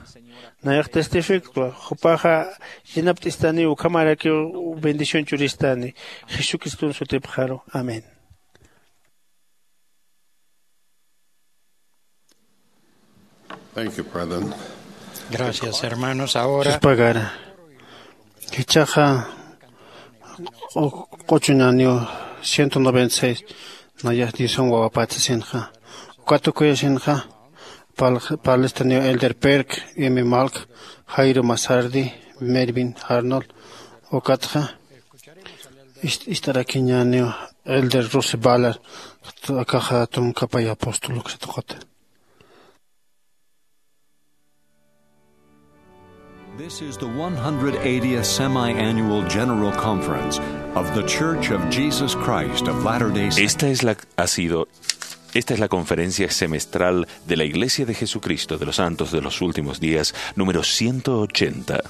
Nayax testifiktwa, jupaxa llenapt'istaniw, ukhamarakiw bendición churistani. Jesucriston sutipxaru. Amén. Thank you, brethren. Gracias, hermanos. Ahora Dios pagara. Jichhaxa q'u-, q'uchuñaniw ciento noventa y seis nayax Diosan wawapatsasinxa. Uka tukuyasinxa pal-, parlistaniw Elder Perk, Emi Malk, Jairo Masardi, Mervin Arnold, ukatxa ist-, ist'arakiñäniw Elder Russell Ballard, akaxa tunka pay apóstol uksa tuqita. This is the one hundred eightieth Semi-Annual General Conference of The Church of Jesus Christ of Latter-day Saints. Esta es la, ha sido, esta es la conferencia semestral de la Iglesia de Jesucristo de los Santos de los Últimos Días, número ciento ochenta.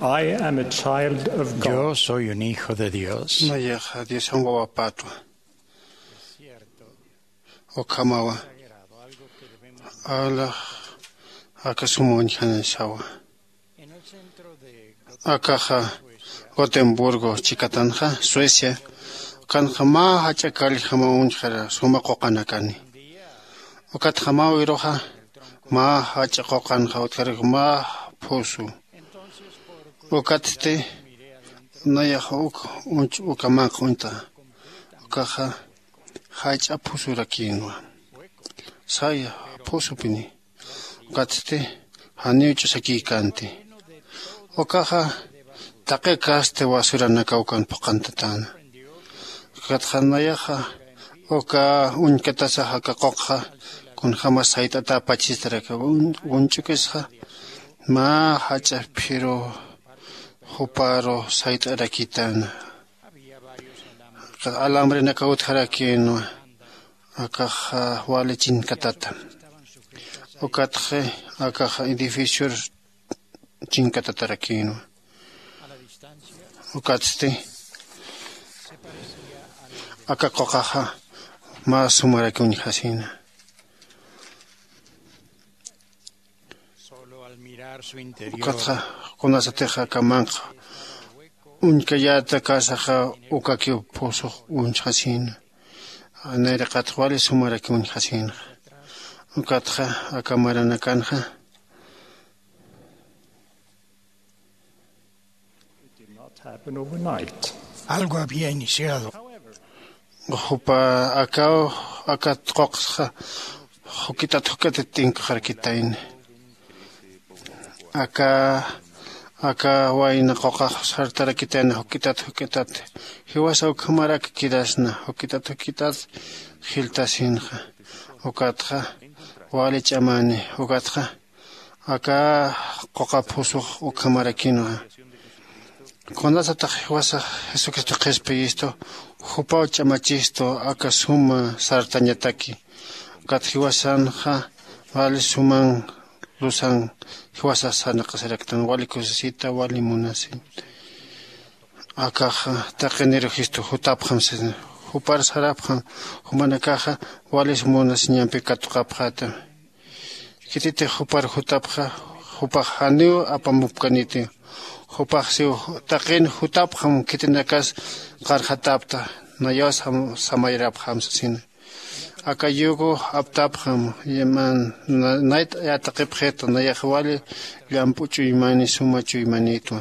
I am a child of God. Yo soy un hijo de Dios. Nayaxa Diosan wawapatwa. Ukhamawa. Alax aka sum uñjanisawa. Akaxa Gotemburgo chikatanxa, Suecia, ukanxa mä jach'a kalljama uñjara suma quqanakani. Ukatxa mä wiruxa mä jach'a quqanxa utjarak mä phusu. Ukatsti nayaxa uk uñch uka manq uñtxa. Ukaxa jach'a phusurakïnwa. Saya phusupini. Ukatsti janiw ch'usakïkänti. Ukaxa taqi kasti basuranakaw ukan phuqhantatäna. Ukatxa nayaxa uka uñkatasa aka quqxa kunjämas sayt'atäpachistaraki un-, uñch'ukisxa mä jach'a phiru juparu sayt'arakitan. Alambre nakawtjarakïnwa. Akaxa wali chinkatata. Ukatxi akaxa edificior chinkatatarakïnwa. Ukatsti aka quqaxa mä sumaraki uñjasïna. Ukatxa kunasatix aka manq'a uñkayäta kasaxa ukakiw phusux uñjasïna. Nayraqatx wali sumaraki uñjasïnxa. Ukatxa aka maranakanxa algo había iniciado. Jupa akaw akat quqsxa jukitat jukitat tinkuxarakitayna. Aka aka wayna quqax sartarakitayna jukitat jukitat. Jiwasa ukhamarak kirasna jukitat jukitat jiltasinxa. Ukatxa wali ch'amani. Ukatxa aka quqa phusux ukhamarakïnwa. Kunasatix jiwasax jesucristo qhispiyistu jupaw ch'amachistu aka suma sartañataki. Ukat jiwasanxa wali suman lusan jiwasax sarnaqasiraktan wali kusisita wali munasiñ. Akaxa taqiniruxistu jutapxam sisna. Jupar sarapxam jumanakaxa walis munasiñampi katuqapxätam. Khititix jupar jutapxa jupax janiw apamupkanitiw. Jupax siw taqin jutapxam khitinakas qarxatapta. Nayaw samayarapxam sasina. Aka yugo aptapxam. Nayt yataqipxita nayax wali llamp'u chuymani suma chuymanitwa.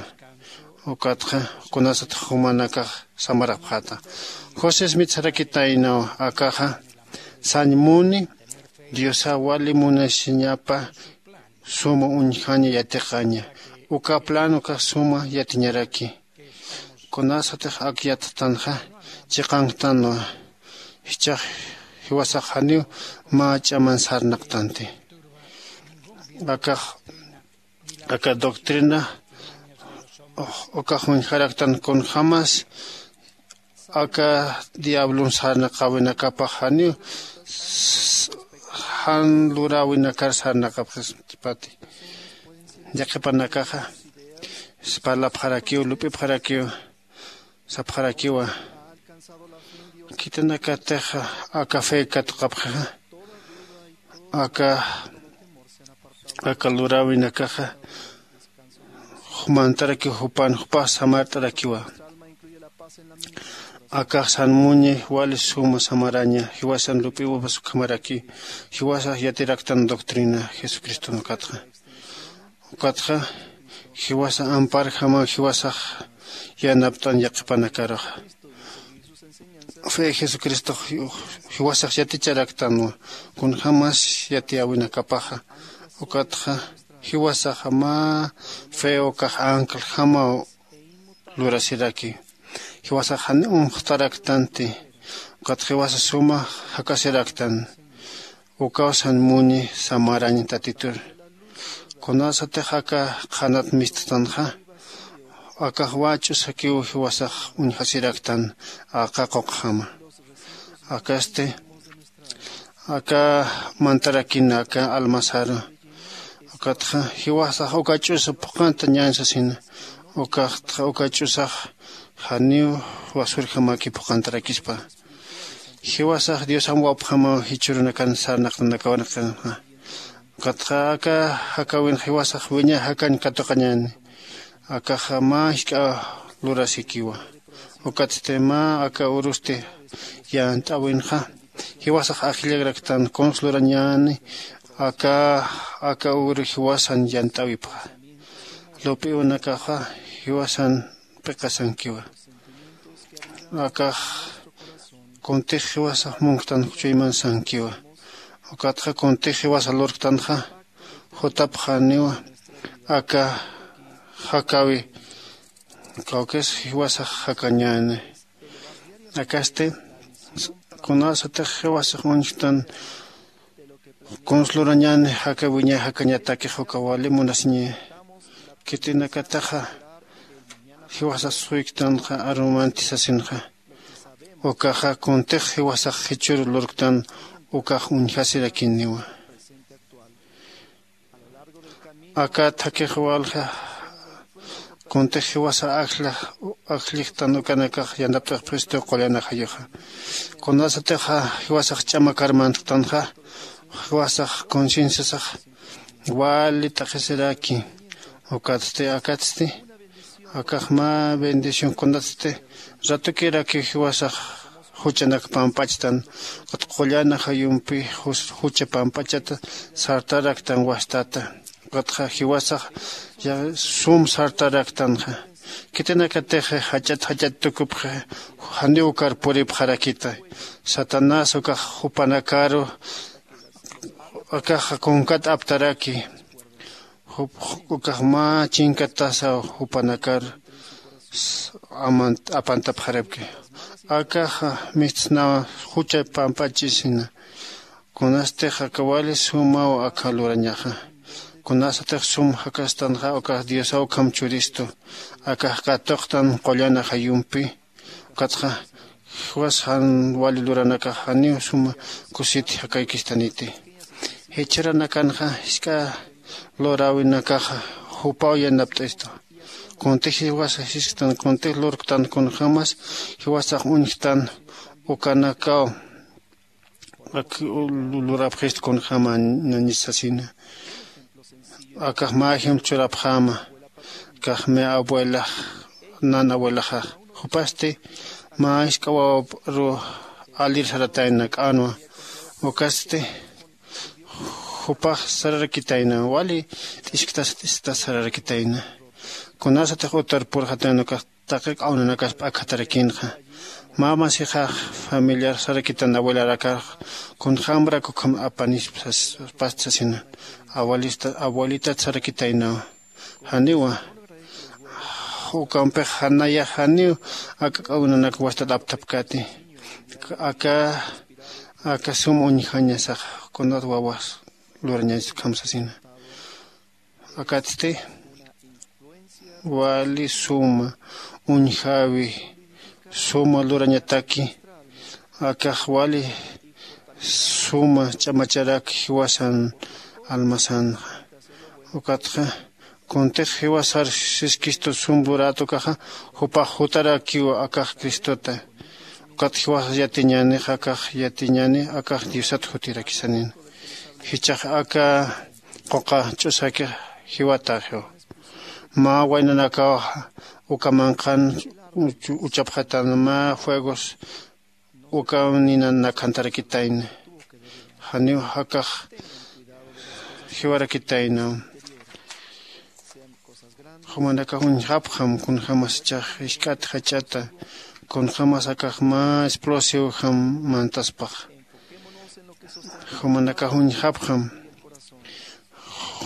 Ukatxa kunasatix jumanakax samarapxata. Josés mitsarakitaynaw akaxa sañ muni diosa wali munasiñapa suma uñjaña yatiqaña. Uka plan ukax suma yatiñaraki. Kunasatix ak yatxtanxa chiqanktanwa. Jichhax jiwasax janiw mä ch'aman sarnaqtanti. Akax aka doctrina ukax uñjaraktan kunjämas aka diablon sarnaqäwinakapax janiw jan luräwinakar sarnaqapxisipati. Yaqhipanakaxa parlapxarakiw lup'ipxarakiw sapxarakiwa. Khitinakatix aka fe katuqapxixa aka aka luräwinakaxa jumantarakiw jupan jupax samart'arakiwa. Akax san muñi wali suma samaraña jiwasan lup'iwapas ukhamaraki. Jiwasax yatiraktan doctrina jesucriston ukatxa ukatxa jiwasa amparjamaw jiwasax yanapt'an yaqhipanakaruxa. Fe jesucristox jiwasax yaticharaktanwa kunjämas yatiyäwinakapaxa. Ukatxa jiwasaxa mä fe ukax ancljamaw lurasiraki. Jiwasax jan unxtaraktanti. Ukatxa jiwasa suma jakasiraktan. Ukaw san muñi samarañ tatitur. Kunasatix aka qhanat mistxtanxa akax wach'usakiw jiwasax uñjasiraktan aka quqjama. Akasti aka mantarakin aka almasaru ukatxa jiwasax uka ch'usa phuqanta ñañ sasina. Ukaxtxa uka ch'usax janiw wasurjamaki phuqantarakispa. Jiwasax diosam wapjamaw jichhurunakan sarnaqtanakawanaktanxa. Ukatxa aka jakäwinxa jiwasax wiñay jakañ katuqañäni. Akaxa mä jisk'a lurasikiwa. Ukatsti mä aka urusti yant'äwinxa jiwasax ajllaraktan kuns lurañäni. Aka aka uru jiwasan yant'äwipxa lup'iwanakaxa jiwasan p'iqasankiwa. Akax kuntix jiwasax munktan chuymansankiwa. Ukatxa kuntix jiwasa lurktanxa jutapxaniwa aka jakäwi kawkis jiwasax jakañäni. Akasti kunasatix jiwasax uñjtan kuns lurañäni jaka wiñay jakañatakix uka wali munasiñi. Khitinakataxa jiwasax suyktanxa arumanti sasinxa. Ukaxa kuntix jiwasax jichhür lurktan ukax uñjasirakiniwa. Aka thakix walja kuntix jiwasa ajlla ajllixtan ukanakax yantapt'axpxistu qullan ajayuxa. Kunasatixa jiwasax ch'amakar mantktanxa jiwasax concienciasax wali t'aqhisiraki. Ukatsti akatsti akax mä bendición kunatsti ratukirakiw jiwasax juchanak pampachtan. Ukat qullan ajayumpi jucha pampachata sartaraktan wastata. Ukatxa jiwasax sum sartaraktanxa. Khitinakatix jach'at jach'at tukupxi janiw ukar puripxarakita. Satanás ukax jupanakaru akax kunkat aptaraki. Ukax mä chinkatasaw jupanakar apantapxarapki. Akaxa mistsnawa jucha pampach'isina. Kunastix aka wali sumaw aka lurañaxa. Kunasatix sum jakastanxa ukax diosaw ukham churistu. Akax katuqtan qullan ajayumpi. Ukatxa jiwas jan wali luranakax janiw suma kusit jakaykistaniti. Jichhüranakanxa jisk'a luräwinakaxa jupaw yanapt'ista. Kuntix jiwasa jisktan kuntix lurktan kunjämas jiwasax uñjtan ukanakaw ak lurapxist kunjäma nañis sasina. Akax mä ejemplo churapxäma. Akax mä abuelax nan abuelaxax jupasti mä jisk'a wawaparu alir saratayna k'anwa. Ukasti jupax sararakitayna wali t'isktasa t'isktasa sararakitayna. Kunasatix utar purxatayna ukax taqi k'awnanakas p'akhatarakinxa. Mä masixax familiar sarakitan abuelarakax kunjämrak ukham apanispa sas past sasina. Abuelitat sarakitaynawa. Janiwa ukampix janayax janiw aka k'awnanak wastat aptapkati. Aka aka sum uñjañasax kunat wawas lurañañas ukham sasina. Akatsti wali suma uñjäwi suma lurañataki. Akax wali suma ch'amacharak jiwasan almasanxa. Ukatxa kuntix jiwasar siskistu sum lurätukaxa jupax jutarakiw akax cristota. Ukat jiwasas yatiñänix akax yatiñäni akax diosat jutirakisanina. Jichhax aka quqa ch'usakix jiwataxiw. Mä waynanakaw uka manqhan uchapxatan mä fuegos ukaw ninan nakhantarakitayna. Janiw akax jiwarakitaynaw. Jumanakax uñjapxam kunjämas ichax jisk'at jach'ata kunjämas akax mä explosivjam mantaspax. Jumanakax uñjapxam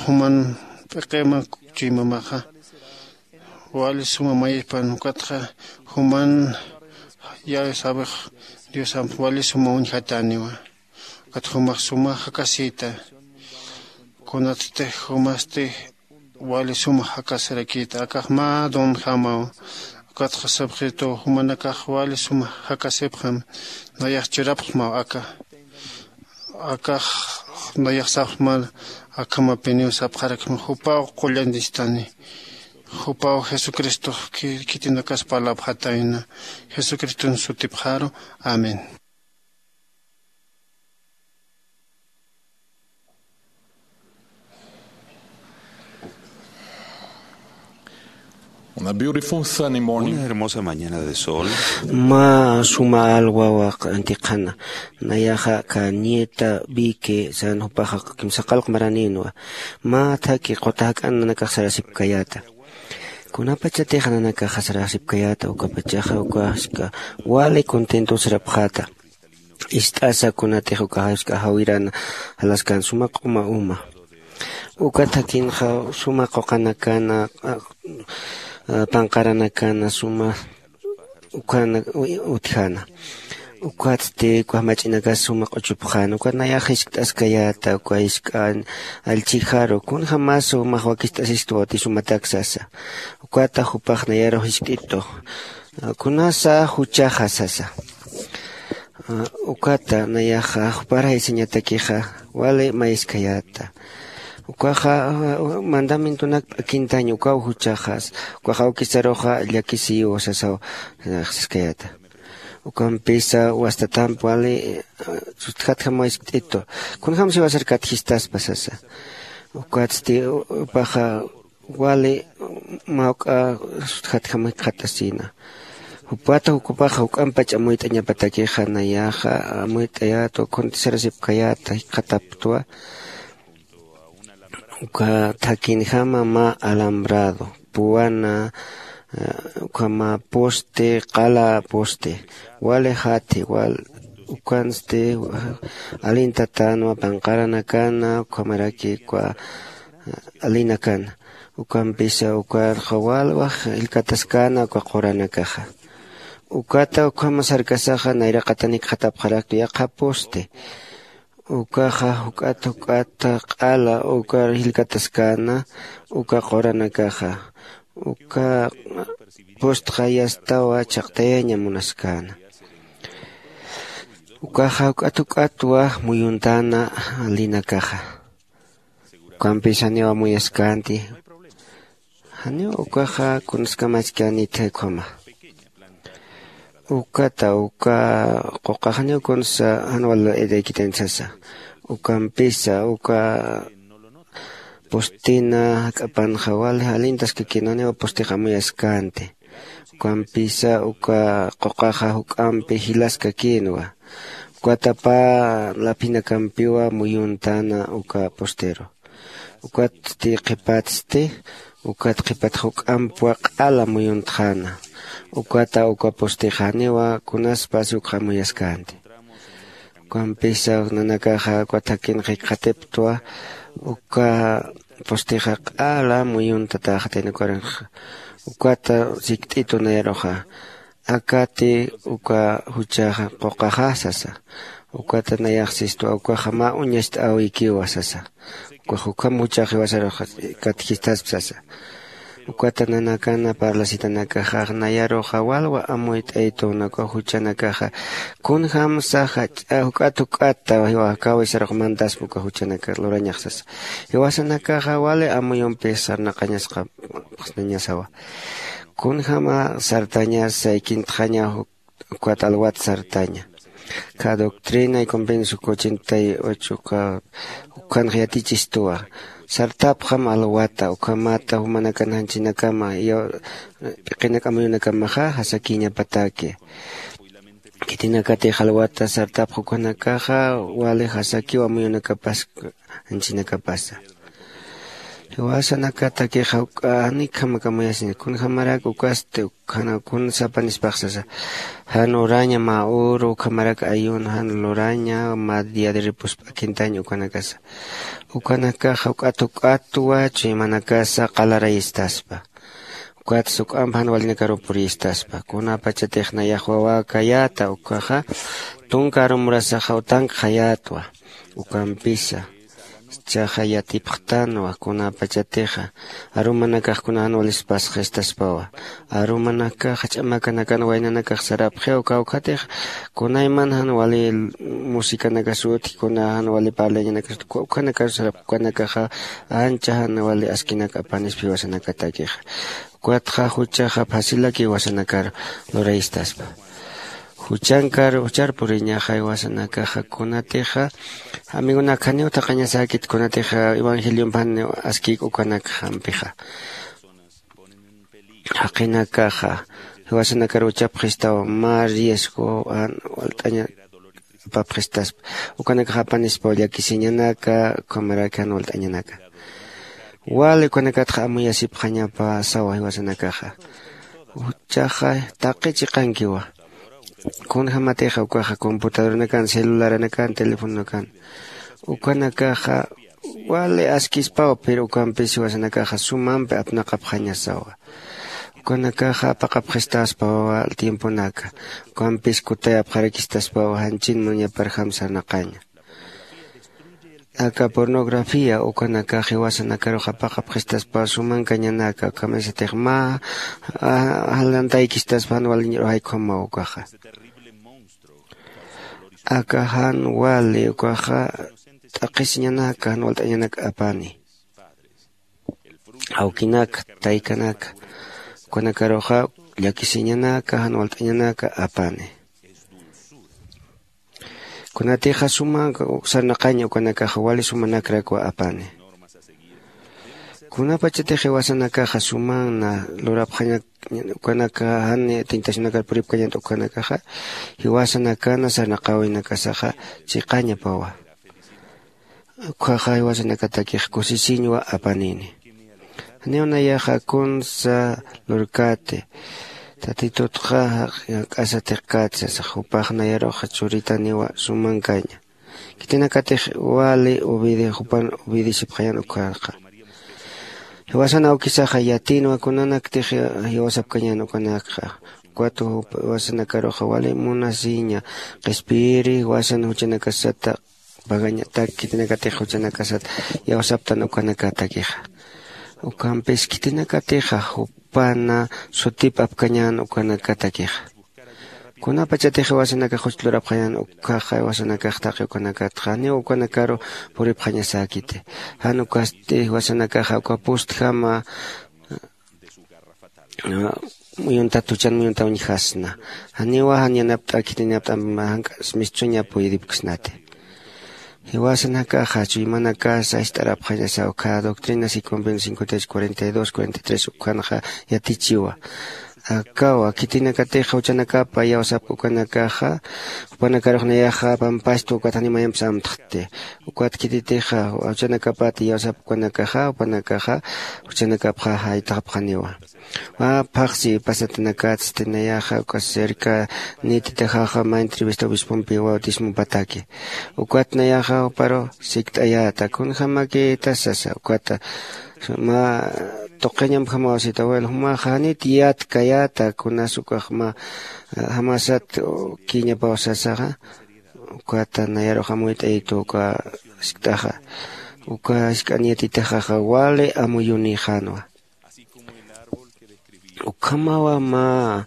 juman p'iqima chuymamaxa wali suma mayispan ukatxa juman yawsawix diosamp wali suma uñjatäniwa. Ukat jumax suma jakasïta. Kunatsti jumasti wali suma jakasirakïta akax mä donjamaw. Ukatxa sapxituw jumanakax wali suma jakasipxam. Nayax churapxmaw aka akax nayax sapxmar akhamapiniw sapxarakma jupaw qullan distani. Jupaw jesucristox khitinakas parlapxatayna jesucriston sutipxaru. Amén. Una hermosa mañana de sol. Mä suma alwawa q'antiqhana nayaxa ka nieta vique san jupaxa kimsaqalq maraninwa. Mä thaki quta jak'an nanakax sarasipkayäta. Kunapachatix nanakaxa sarasipkayäta ukapachaxa ukaxska wali contento sarapxäta. Ist'asa kunatix ukaxask'a jawirana jalaskan suma q'uma uma. Uka thakinxa suma quqanakana panqaranakana suma ukhana utjana. Ukatsti uka jamach'inakas suma q'uchupxän ukat nayax jiskt'askayäta uka jisk'an allchhijaru kunjämas jumax wakist'asistwa uti sumatak sasa. Ukata jupax nayarux jiskt'itu kunasa juchaxa sasa. Ukata nayaxa jupar jaysañatakixa wali mayiskayäta. Ukaxa mandamientonak p'akintañ ukaw juchaxas ukax awkisaruxa llakisiyiw sasaw. Saskayäta ukampisa wastatamp wali sutjatjam wayskt'itu. Kunjämsi wasar katjistaspa sasa. Ukatsti jupaxa wali mawk'a sutjatjam jikxatasina. Jupata jukupaxa juk'ampach amuyt'añapatakixa nayaxa amuyt'ayätwa kuntisarasipkayäta jikxatapktwa. Uka thakhinjama mä alambrado puwana ukhama poste qala poste wali jathi wal ukansti alintatänwa panqaranakana ukhamaraki uka alinakana. Ukampisa ukarxa walwax jillkataskäna uka quranakaxa. Ukata ukhama sarkasaxa nayraqatanik jatapxaraktu yaqha poste ukaxa juk'at juk'ata q'ala uka jillkataskäna uka quranakaxa. Uka postxa yastawa chhaqtayaña munaskäna. Ukaxa juk'at juk'atwa muyuntäna linakaxa. Ukampis janiw amuyaskänti. Janiw ukaxa kunaskamaskänitxa ukhama. Ukata uka quqaxaniw kunsa jan wal iraykitan sasa. Ukampisa uka postina jak'apanxa wali jalintaskakïnwa janiw postix amuyaskänti. Ukampisa uka quqaxa juk'ampi jilaskakïnwa. Ukata pä laphinakampiwa muyuntäna uka posteru. Ukatsti qhipatsti ukat qhipat juk'ampwa q'ala muyuntxäna. Ukata uka postixaniwa kunaspas ukxamuyaskänti. Ukampisa nanakaxa uka thakin jikxatipktwa uka postixa q'ala muyuntatäxatin ukarinxa. Ukata sikt'itu nayaruxa akati uka juchaxa quqaxa sasa. Ukata nayaxsistwa ukaxa mä uñacht'äwikiwa sasa. Ukax ukham juchax jiwasarux katjistasp sasa. Ukata nanakana parlasitanakaxax nayaruxa walwa amuyt'aytuna uka juchanakaxa kunjämsa jach'a juk'at juk'atta jiwa jakawisarux mandaspa uka juchanakax lurañax sasa. Jiwasanakaxa wali amuyumpix sarnaqañasqa pxsnañasawa. Kunjäma sartaña saykintxaña ukat alwat sartaña. Ka doctrina y convenio sukuchintay uchuka ukhanx yatichistuwa. Sartapxam alwata ukhamata jumanakan janchinakama p'iqinak amuyunakamaxa jasakïñapataki. Khitinakatix alwata sartapx ukhanakaxa wali jasakiw amuyunakapas janchinakapasa. Jiwasanakatakixa juk'a janikjamak amuyasina kunjämarak ukasti ukhana kunsa apanispax sasa. Jan uraña mä uru ukhamarak ayuno jan luraña mä día de reposo p'akintañ ukanakasa. Ukanakaxa juk'at juk'atwa chuymanakasa qalarayistaspa. Ukatsa juk'amp jan walinakaruw puriyistaspa kunapachatix nayax wawäkayäta ukaxa tunka arumurasaxa utankxayätwa. Ukampisa jichhaxa yatipxtanwa kunapachatixa arumanakax kuna jan walispas jistaspawa. Arumanakaxa ch'amakanakan waynanakax sarapxiw kawkhatix kunayman jan wali musicanakas utji kuna jan wali parlañanakas ukhanakaru sarapxi ukanakaxa ancha jan wali askinak apanispa jiwasanakatakixa. Ukatxa juchaxa facilaki jiwasanakar lurayistaspa. Juchankar juchar puriñaxa jiwasanakaxa kunatixa amigonak janiw thaqañasäkit kunatixa evangeliompan askïk ukanakxampixa. Jaqinakaxa jiwasanakar uchapxistaw mä riesgo jan walt'aña apapxistaspa. Ukanakax apanispaw llakisiñanaka ukhamaraki jan walt'añanaka. Wali ukanakatxa amuyasipxañapa sawa jiwasanakaxa. Juchaxa taqi chiqankiwa. Kunjämatixa ukaxa computadoranakan celularanakan telefononakan ukanakaxa wali askispawa pero ukampis jiwasanakaxa sumampi apnaqapxañasawa. Ukanakaxa apaqapxistaspawa tiemponaka. Ukampis kutayapxarakistaspawa janchin munañaparjam sarnaqaña. Aka pornografía ukanakax jiwasanakarux apaqapxistaspawa sumankañanaka, ukhamisatix mä alantaykistaspan waliñrux jaykhumaw ukaxa. Aka jan wali ukaxa t'aqhisiñanaka jan walt'añanak apani. Awkinaka, taykanaka, ukanakaruxa llakisiñanaka jan walt'añanaka apani. Kunatixa sumanka sarnaqaña ukanakaxa wali sumanakrakwa apani. Kunapachatix jiwasanakaxa sumanna lurapxañak ukanaka jan tentacionakar puripkañat ukanakaxa jiwasanakana sarnaqawinakasaxa chiqañapawa. Ukhaxa jiwasanakatakix kusisiñwa apanini. Janiw nayaxa kunsa lurkäti tatitutxa jak'asa tiqkäti sasax jupax nayaruxa churitaniwa sumankaña. Khitinakatix wali jupan obedecipxañan ukharqa. Jiwasan awkisaxa yatinwa kunanaktix jiwasapkañan ukanakxa. Ukat jiwasanakaruxa wali munasiña qhispiyiri jiwasan juchanakasata pagañatak khitinakatix juchanakasat yawsaptan ukanakatakixa. Ukampis khitinakatixa jupana sutip apkañän ukanakatakixa. Kunapachatix jiwasanakax juch lurapxañän ukhaxa jiwasanakax taqi ukanakatxa janiw ukanakaru puripxañasäkiti. Jan ukasti jiwasanakaxa uka pustjama muyuntat juchan muyunta uñjasna. Janiwa jan yanapt'a khitinapt'a jank'as mistuña puyiripksnati. Jiwasanakaxa chuymanakasa ist'arapxañasaw cada doctrina y convenio cincuenta y ocho cuarenta y dos cuarenta y tres ukhanxa yatichiwa. Akawa khitinakatixa juchanakapa yawsapka ukanakaxa jupanakarux nayaxa pampastwa ukat janiw mayampis amtxti. Ukat khititixa juchanakapat yawsapka ukanakaxa jupanakaxa juchanakapxa jaytxapxaniwa. Mä phaxsi pasatanakatsti nayaxa uka cerca nititaxaxa mä entrevista obispompi bautismopataki. Ukat nayaxa juparu sikt'ayäta kunjämakitas sasa ukata mä tuqiñampjamaw sita abuelo jumaxa janit yatkayäta kunas ukax mä jamasat kiñapaw sasaxa. Ukata nayarux amuyt'ayitu uka sikt'axa. Uka jisk'an yatitaxaxa wali amuyunïxänwa. Ukhamawa mä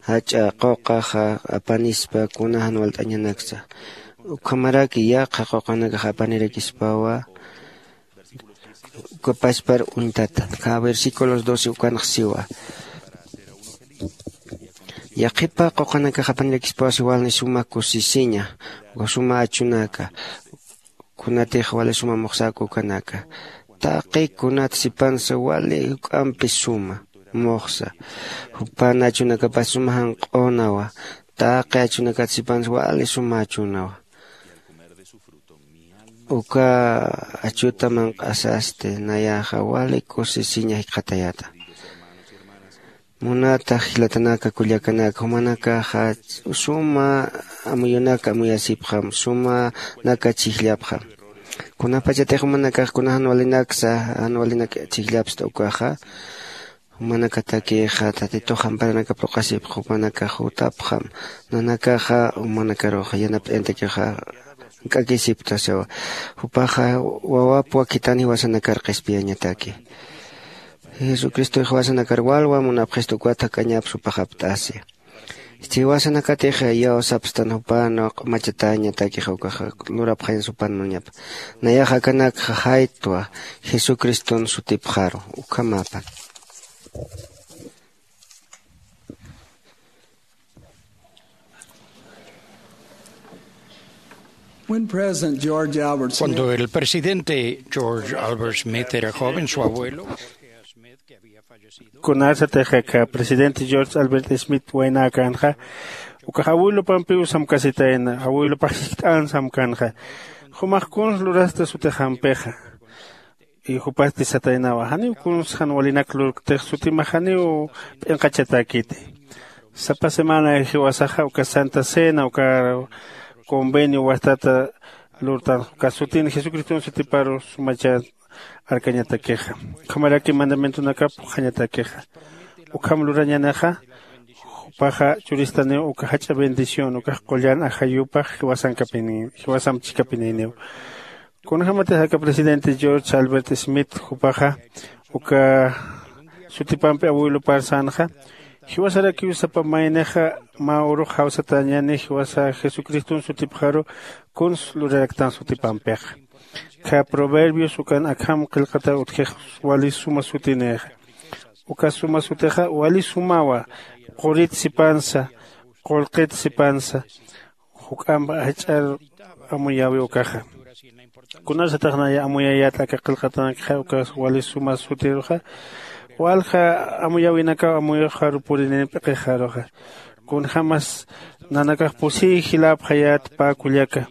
jach'a quqaxa apanispa kuna jan walt'añanaksa. Ukhamaraki yaqha quqanakax apanirakispawa. Uka pachpar uñtata kä versículos doce ukanx siwa. Yaqhipa quqanakax apanirakispawa siwalni suma kusisiña uka suma achunaka. Kunatix wali suma muxsäka ukanaka. Taqi kunat sipansa wali juk'ampi suma muxsa. Jupan achunakapas suma janq'unawa. Taqi achunakat sipansa wali suma achunawa. Uka achuta manq'asasti nayaxa wali kusisiña jikxatayäta. Munata jilatanaka kullakanaka jumanakaxa suma amuyunaka amuyasipxam sumanaka chhijllapxam. Kunapachatix jumanakax kuna jan walinaksa jan walinak chhijllapsta ukaxa jumanakatakixa tatitux amparanakap lluqasipxa jumanakax jutapxam. Nanakaxa jumanakaruxa yanapt'añatakixa jank'akisipta sawa. Jupaxa wawapwa khitani jiwasanakar qhispiyañataki. Jesucristox jiwasanakar walwa munapxistu ukat jak'añaps jupax apt'asi. Jiwasanakatix iyawsapstan jupan q'umachatañatakix ukax lurapxañas jupan munañapa. Nayax akanakxa jaytwa jesucriston sutipxaru. Ukhamapan. When President George Albert Smith Cuando el presidente George Albert Smith era joven, su abuelo, kunasatix aka presidente George Albert Smith waynäkänxa ukax abuelopampiw samkasitayna abuelopax jiskt'an samkänxa. Jumax kuns lurasta sutixampixa y jupasti sataynawa janiw kuns jan walinak lurktix sutimax janiw p'inqachatäkiti. Sapa semana jiwasaxa uka santa cena uka convenio wastata lurtan uka sutin jesucriston sutiparu sumachat arkañatakixa. Ukhamaraki mandamientonakap puqhañatakixa. Ukham lurañanixa jupaxa churistaniw uka jach'a bendición ukax qullan ajayupax jiwasankapini jiwasamp chikapininiw. Kunjämatix aka presidente george albert smith jupaxa uka sutipampi abuelopar sänxa, jiwasarakiw sapa maynixa mä urux jawsatäñäni jiwasa jesucriston sutipxaru kuns luraraktan sutipampixa. Khä proverbios ukan akham qillqataw utjix wali suma sutinixa. Uka suma sutixa wali sumawa qurit sipansa qullqit sipansa juk'amp jach'ar amuyäwi ukaxa. Kunasatix naya amuyayät aka qillqatanakxa uka wali suma sutiruxa walja amuyäwinakaw amuyuxaru purinin p'iqixaruxa. Kunjämas nanakax pusiy jiläpxayät pä kullaka.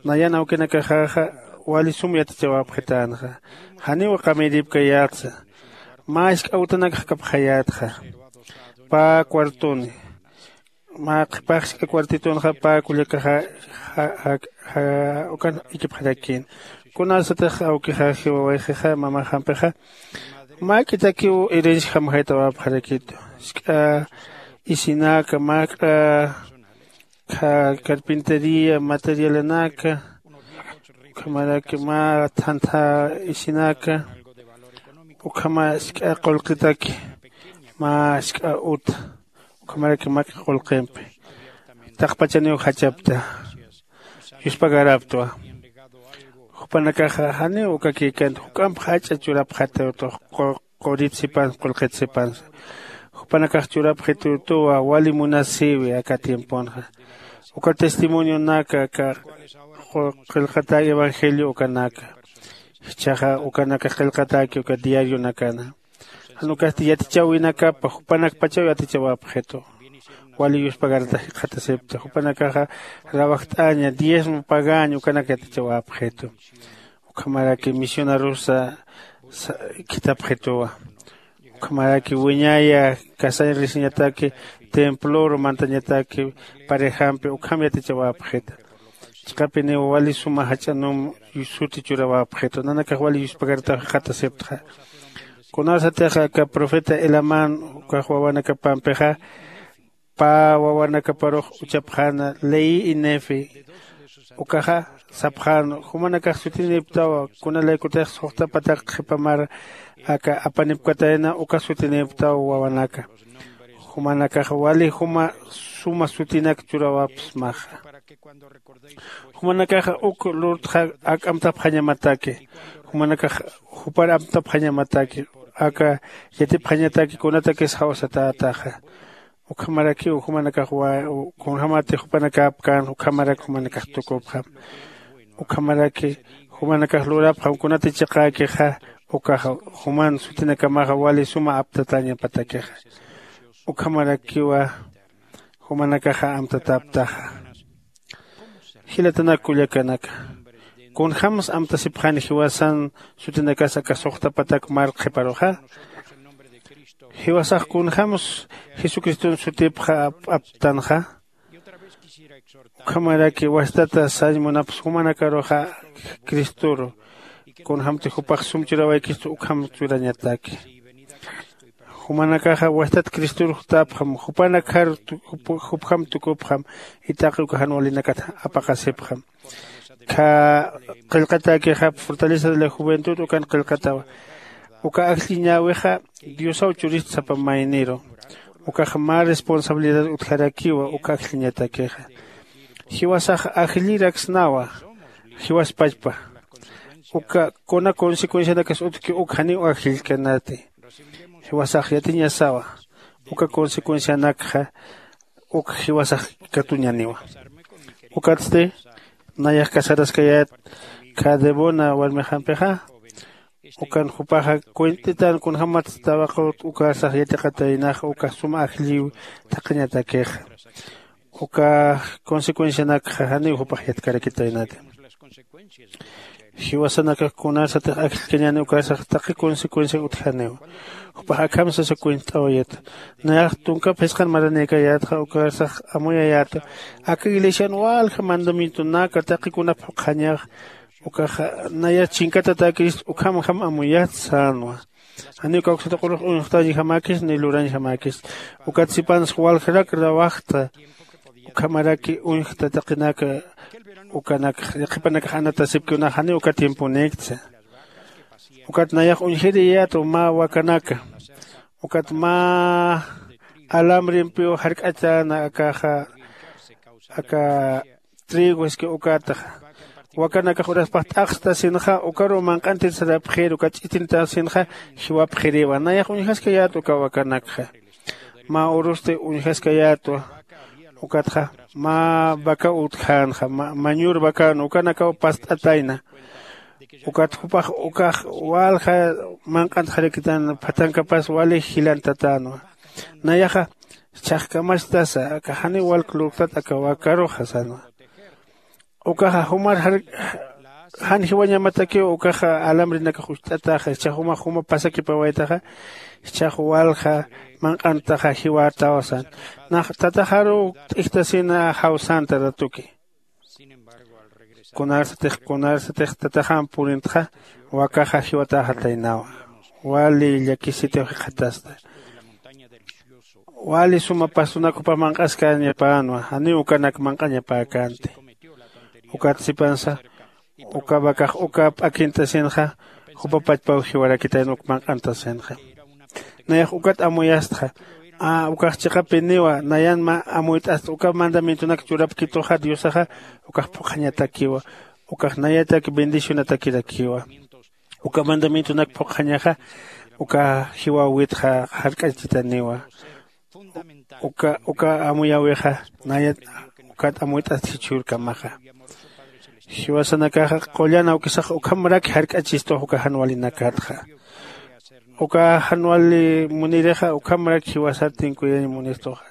Nayan awkinakaxäxa wali sum yatichawäpxitänxa. Janiw qamiripkayätsa mä jisk'a utanakx kapxayätxa. Pä cuartoni mä qhipax jisk'a cuartitunxa pä kullakaxa ukan ikipxarakïn. Kunasatix awkixa jiwawayxixa mamaxampixa mäk'itakiw herencia jamjaytawapxarakitu. Jisk'a isinaka mäk'a carpintería materialanaka ukhamaraki mä thantha isinaka ukhama jisk'a qullqitaki mä jisk'a uta ukhamaraki mäk'a qullqimpi taqpachaniw jachapta yuspagaraptwa. Jupanakaxa janiw ukakïkänti juk'amp jach'a churapxatiwtux qurit sipansa qullqit sipansa. Jupanakax churapxitiwtuwa wali munasïwi aka tiemponxa. Uka testimonionaka aka qillqatäk evangelio ukanaka jichhaxa ukanakax qillqatäki uka diarionakana. Jan ukasti yatichäwinakapa jupanakpachaw yatichawapxitu. Wali yuspagaratax jikxatasipta jupanakaxa rawajt'aña diezmo pagaña ukanak yatichawapxitu. Ukhamaraki misionarusa khithapxituwa. Ukhamaraki wiñaya kasañ risiñataki temploru mantañataki parejampi ukham yatichawapxita. Chiqapiniw wali suma jach'anum suti churawapxitu nanakax wali yuspagaratax jikxatasiptxa. Kunasatix aka profeta elaman ukax wawanakapampixa pä wawanakaparux uchapxäna leí y nefi ukaxa sapxän jumanakax sutinïptawa kunalaykutix suxta patak qhipamar aka apanipkatayna uka sutinïptaw wawanaka. Jumanakax wali juma suma sutinak churawapsmaxa. Jumanakaxa uk lurtxa ak amtapxañamataki jumanakax jupar amtapxañamataki aka yatipxañataki kunatakis jawsatätaxa. Ukhamarakiw jumanakax kunjämati jupanakäpkän ukhamarak jumanakax tukupxam. Ukhamaraki jumanakax lurapxam kunati chiqäkixa ukaxa juman sutinakamaxa wali suma aptatäñapatakixa. Ukhamarakiwa jumanakaxa amtatäptaxa. Jilatanak kullakanaka, kunjämsa amtasipxani jiwasan sutinakas aka suxta patak mar qhiparuxa? Jiwasax kunjämsa jesucriston sutipxa aptanxa? Ukhamaraki wastata sañ munapsa jumanakaruxa cristoru kunjämti jupax sum churawaykistu ukham churañataki. Jumanakaxa wastat cristor jutapxam jupanakjar jupjam tukupxam. Itaqi uka jan walinakat apaqasipxam. Kha qillqatäkixap fortaleza de la juventud ukan qillqatawa. Uka ajlliñäwixa diosaw churist sapa mayniru. Ukax mä responsabilidad utjarakiwa uka ajlliñatakixa. Jiwasax ajlliraksnawa. Jiwaspachpa uka kuna consecuencianakas utjki uk janiw ajllkanati. Jiwasax yatiñasawa uka consecuencianakxa uk jiwasax katuñaniwa. Ukatsti nayax casaraskayät kha debona warmixampixa. Ukan jupaxa cuent'itan kunjämatsti tawaqut ukarsax yatiqataynaxa ukax suma ajlliw thaqhañatakixa. Uka consecuencianakxa janiw jupax yatkarakitaynati. Jiwasanakax kunasatix ajllkañäni ukarsax taqi consecuencia utjaniw. Jupax akham sasa cuent'awayata. Nayax tunkap jisqan maranïkayätxa ukarsax amuyayäta. Aka iglesian walja mandamientonaka taqi kunap jukxañax ukaxa naya chinkatatäkirist ukhamjam amuyat sänwa. Janiw kawksatuqurux uñxtañjamäkis ni lurañjamäkis. Ukat sipansa waljarak rawajta. Ukhamaraki uñjta taqinaka ukanak qhipanakax anatasipkiw nax janiw uka tiemponïktsa. Ukat nayax uñjiriyätwa mä wakanaka. Ukat mä alamrimpiw jark'achäna akaxa aka trigo iski ukataxa. Wakanakax uraspax t'aqstasinxa ukaruw manq'antir sarapxir uka ch'itintasinxa jiwapxiriwa nayax uñjaskayätwa uka wakanakxa. Mä urusti uñjaskayätwa. Ukatxa mä vaca utjänxa mañur vacän ukanakaw past'atayna. Ukat jupax ukax walja manq'antxarakitän phatankapas wali jilantatänwa. Nayaxa chhajkamastasa aka janiw walk lurktat aka wakaruxa sänwa. Ukaxa jumar jan jiwañamatakiw ukaxa alambrenakax ucht'ataxa jichhax juma juma pasakipawaytaxa. Jichhax walja manq'antaxa jiwätaw sän. Nax tataxaruw t'ijtasina jawsänta ratuki. Kunarsatix kunarsatix tataxam purintxa wakaxa jiwatäxataynawa. Wali llakisitiw jikxatasta. Wali suma pastunak jupax manq'askäñapänwa janiw ukanak manq'añapäkänti. Ukat sipansa uka vacax uka p'akint'asinxa jupa pachpaw jiwarakitayna uk manq'antasinxa. Nayax ukat amuyastxa. Ukax chiqapiniwa nayan mä amuyt'asta uka mandamientonak churapkituxa diosaxa ukax phuqhañatakiwa. Ukax nayatak bendicionatakirakiwa. Uka mandamientonak phuqhañaxa uka jiwawitxa jark'achitaniwa. Uka uka amuyäwixa nayat ukat amuyt'ast jichhürkamaxa. Jiwasanakaxa qullan awkisax ukhamaraki jark'achistuxa uka jan walinakatxa. Uka jan wali munirixa ukhamaraki jiwasar tinkuyañ munistuxa.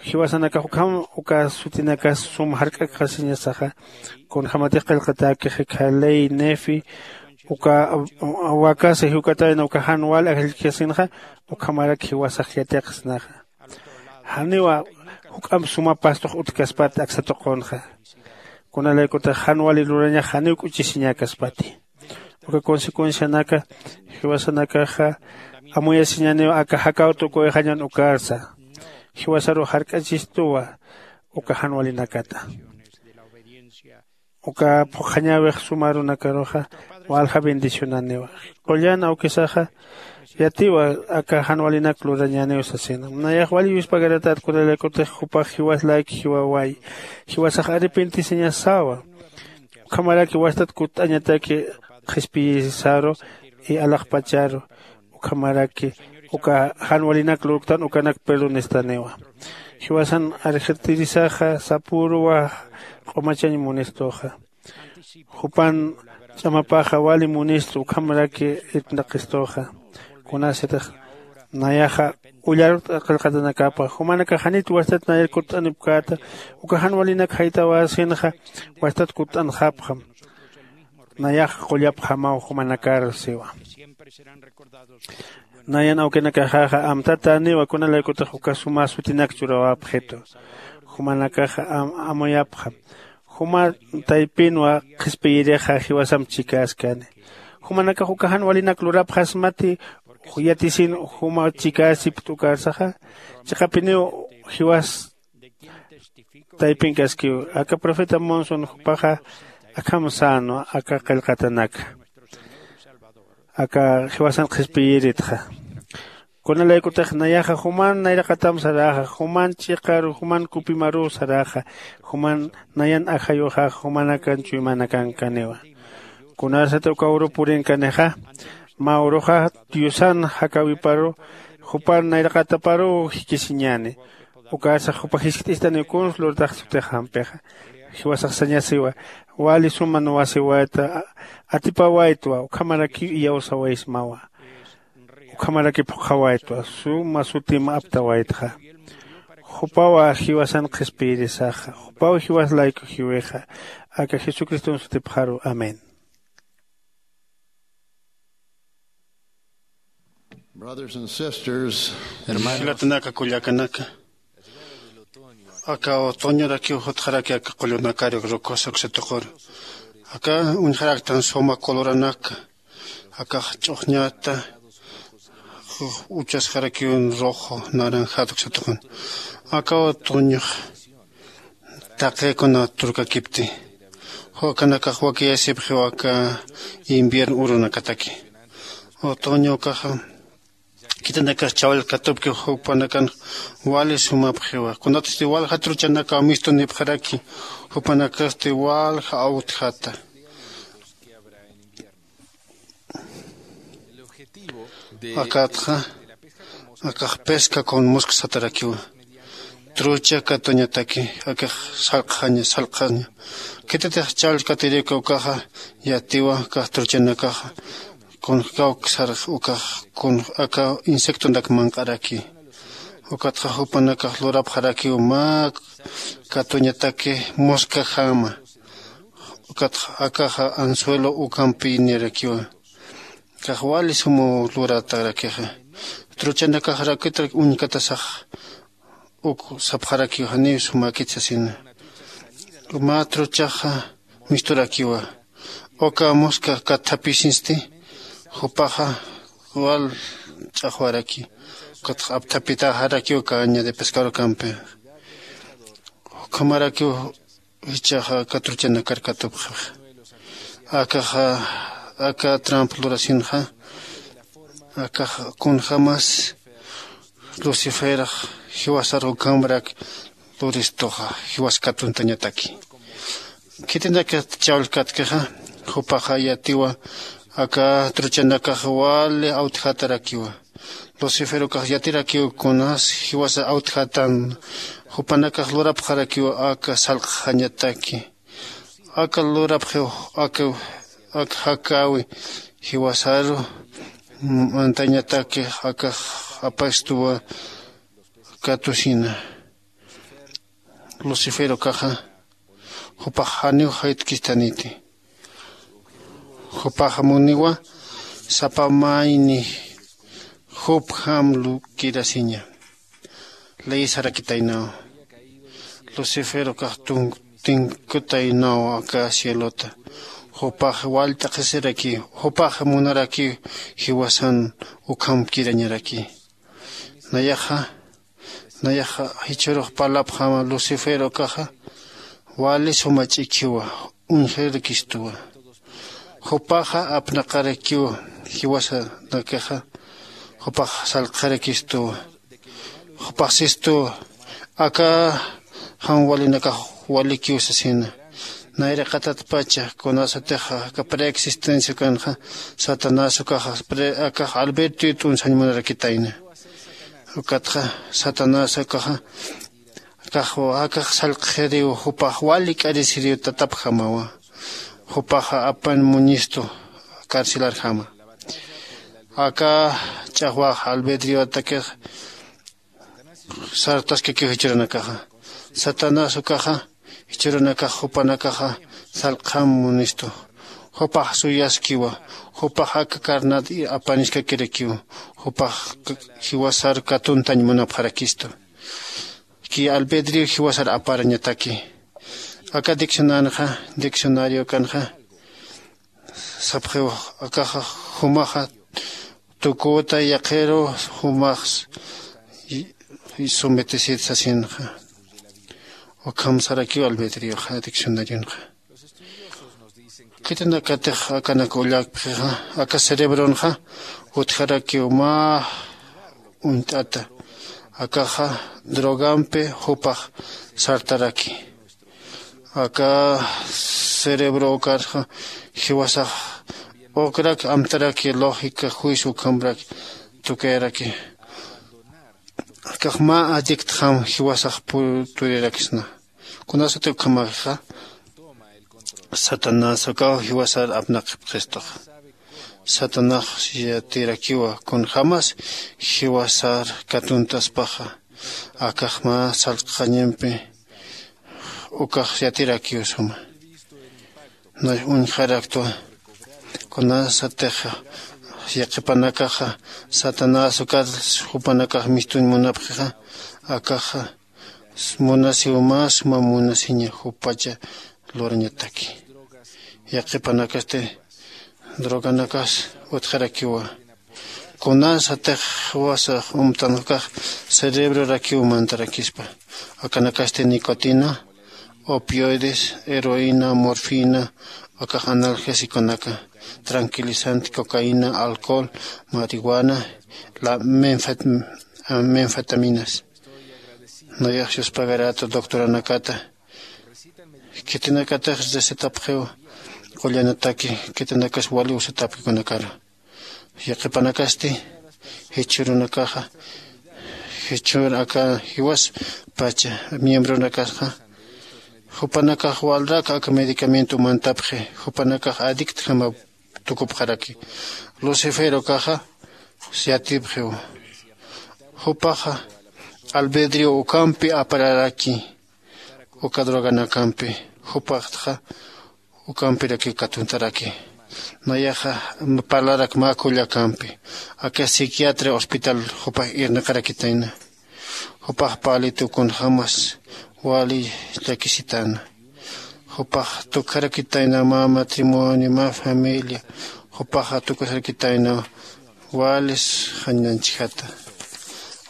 Jiwasanakax ukham uka sutinakas sum jark'akxasiñasaxa. Kunjämatix qillqatäkixi khaley nefi uka wakasa jiwkatayna uka jan wal ajllkasinxa ukhamarak jiwasax yatiqsnaxa. Janiwa juk'amp suma pastux utjkaspati aksa tuqunxa. Kunalaykutix jan wali lurañax janiw k'uchisiñäkaspati. Uka consecuencianaka jiwasanakaxa amuyasiñaniw aka jakaw tukuyxañan ukarsa. Jiwasaruw jark'achistuwa uka jan walinakata. Uka phuqhañäwix suma arunakaruxa walja bendicionaniwa. Qullan awkisaxa yatiwa aka jan walinak lurañäniw sasina nayax wali yuspagaratat kunalaykutix jupax jiwas layku jiwawayi. Jiwasax arrepentisiñasawa. Ukhamaraki wastat kutt'añataki qhispiyisaru y alaxpacharu. Ukhamaraki uka jan walinak lurktan ukanak perdonistaniwa. Jiwasan arjitirisaxa sapüruwa q'umachañ munistuxa. Jupan ch'amapaxa wali munistu ukhamaraki irpnaq'istuxa. Kunasatix nayaxa ullarut qillqatanakapa jumanakax janit wastat nayar kutt'anipkäta. Uka jan walinak jaytawäsinxa wastat kutt'anxapxam. Nayax qullapxamaw jumanakar siwa. Nayan awkinakaxaxa amtatäniwa kunalaykutix uka suma sutinak churawäpxitu. Jumanakaxa amuyapxam. Juma taypinwa qhispiyirixa jiwasamp chikäskani. Jumanakax uka jan walinak lurapxasmati yatisin juma chikäsipkta ukarsaxa. Chiqapiniw jiwas taypinkaskiw aka profeta monson jupaxa akham sänwa aka qillqatanaka aka jiwasan qhispiyiritxa. Kunalaykutix nayaxa juman nayraqatam saräxa juman ch'iqaru juman kupimaruw saräxa. Juman nayan ajayuxaxa jumanakan chuymanakan kaniwa. Kunasati uka uru purinkanixa mä uruxa diosan jakäwiparu jupan nayraqataparuw jikisiñäni. Ukarsax jupa jiskt'istaniw kuns lurtax sutixampixa. Jiwasax sañasiwa wali suma nuwasiwayta atipawaytwa ukhamarakiw iyawsawaysmawa. Ukhamaraki phuqhawaytwa suma sutim aptawaytxa. Jupawa jiwasan qhispiyirisaxa jupaw jiwas layku jiwixa. Aka jesucriston sutipxaru amén. Brothers and sisters, hermanos, jilatanaka kullakanaka, aka otoñorakiw jutxaraki aka qullunakari rukus uksa tuquru. Aka uñjaraktan suma coloranaka akax ch'uxñata Uchasxarakiw rojo naranjat uksatuqun. Aka otoñox taqikuna turkakipti, ukanakax wakiyasipxiw aka invierno urunakataki. Otoño ukaxa khitinakax chawallkatupki, jupanakan wali sumapxiwa. Kunatsti walja truchanakaw mistunipxaraki, jupanakasti walja awtjata. Akatxa akax pesca con mosca satarakiwa. Trucha katuñataki akax salqjaña salqjaña. Khitatix chawallkatirika ukaxa yatiwa akax truchanakaxa kunjkawk sarx ukax kun aka insectonak manq'araki. Ukatxa jupanakax lurapxarakiw mä katuñataki moscajama. Ukatxa akaxa anzuelo ukampi nirakiwa. Kax wali sumaw luratarakixa. Truchanakaxarakitrak uñkatasax uk sapxarakiw janiw sumakit sasina. Mä truchaxa misturakiwa. Uka mosca kathapisinsti jupaxa wal ch'axwaraki. Ukatxa apthapitaxarakiw caña de pescador campi. Ukhamarakiw jichhaxa aka truchanakar katupxixa. Akaxa aka trampa lurasinxa akaxa kunjämas luciferax jiwasar ukhamrak luristuxa jiwas katuntañataki. Khitinakax chawallkatkixa jupaxa yatiwa aka truchanakax wali awtjatarakiwa. Lucifer ukax yatirakiw kunas jiwasa awtjatan. Jupanakax lurapxarakiw aka salqjañataki. Aka lurapxiw aka aka jakäwi jiwasaru mantañataki akax apastuwa katusina. Lucifer ukaxa jupax janiw jaytkistaniti. Jupax muniwa sapa mayni jupjam lukirasiña. Ley sarakitaynaw. Lucifer ukax tinkutaynaw aka cielota. Jupax wallt'aqisiraki jupax munaraki jiwasan ukhamkirañaraki. Nayaxa nayaxa jichhürux parlapxama lucifer ukaxa wali suma ch'ikhiwa. Uñjirkistuwa. Jupaxa apnaqarakiwa jiwasanakixa. Jupax salqxarakistuwa. Jupax sistuwa aka jan walinakax walikiw sasina. Nayraqatatpacha kunasatixa aka preexistencia ukanxa satanás ukaxa akax albertioy t'unsañ munarakitayna. Ukatxa satanás ukaxa akax akax salqxiriw jupax wali k'arisiriw tatapjamawa. Jupaxa apan muñistu carcelarjama. Aka ch'axwax albedriotakix sartaskakiw jichhürunakaxa. Satanás ukaxa jichhürunakax jupanakaxa salqxam munistu. Jupax suyaskiwa. Jupax aka carnat apaniskakirakiw. Jupax jiwasar katuntañ munapxarakistu. Ki albedrio jiwasar aparañataki. Aka diccionanxa diccionario kanxa sapxiw akaxa jumaxa tukuta yaqhiru jumax sometesit sasinxa. Ukham sarakiw albedrioxa diccionarionxa. Khitinakatix akanak ullakpxixa aka cerebronxa utjarakiw mä uñt'ata. Akaxa drogampi jupax sartaraki. Aka cerebro ukarxa jiwasax ukrak amtaraki lógica juicio ukhamrak tukayaraki. Akax mä adictjam jiwasax purturirakisna. Kunasati ukhamaxa satanás ukaw jiwasar apnaqipxistuxa. Satanás yatirakiwa kunjämas jiwasar katuntaspaxa. Akax mä salqxañampi ukax yatirakiw suma. Nay uñjaraktwa kunasatix yaqhipanakaxa satanás ukat jupanakax mistuñ munapxixa. Akaxa munasiw mä suma munasiña jupacha lurañataki. Yaqhipanakasti droganakas utjarakiwa. Kunasatix jiwasax umtanxkax cerebrorakiw mantarakispa. Akanakasti nicotina, opioides, heroína, morfina, akax analgésiconaka, tranquilizante, cocaína, alcohol, marihuana, la menfet- menfetaminas. Nayax yuspagarata doctoranakata. Khitinakatax recetapxiw qullanataki, khitinakas wali usatapkikunakaru. Yaqhipanakasti jichhürunakaxa, jichhür aka jiwas pacha miembronakaxa, jupanakax walrak aka medicamento mantapxi, jupanakax adictjama tukupxaraki. Luciferokaxa yatipxiw. Jupaxa albedrio ukampi apararaki, uka droganakampi. Jupaxtxa ukampiraki katuntaraki. Nayaxa parlarak mä kullakampi, aka psiquiatria hospital jupax irnaqarakitayna. Jupax palitu kunjämas wali llakisitana. Jupax tukjarakitayna mä matrimonio, mä familia. Jupaxa tukjarakitayna walis jañanchjata.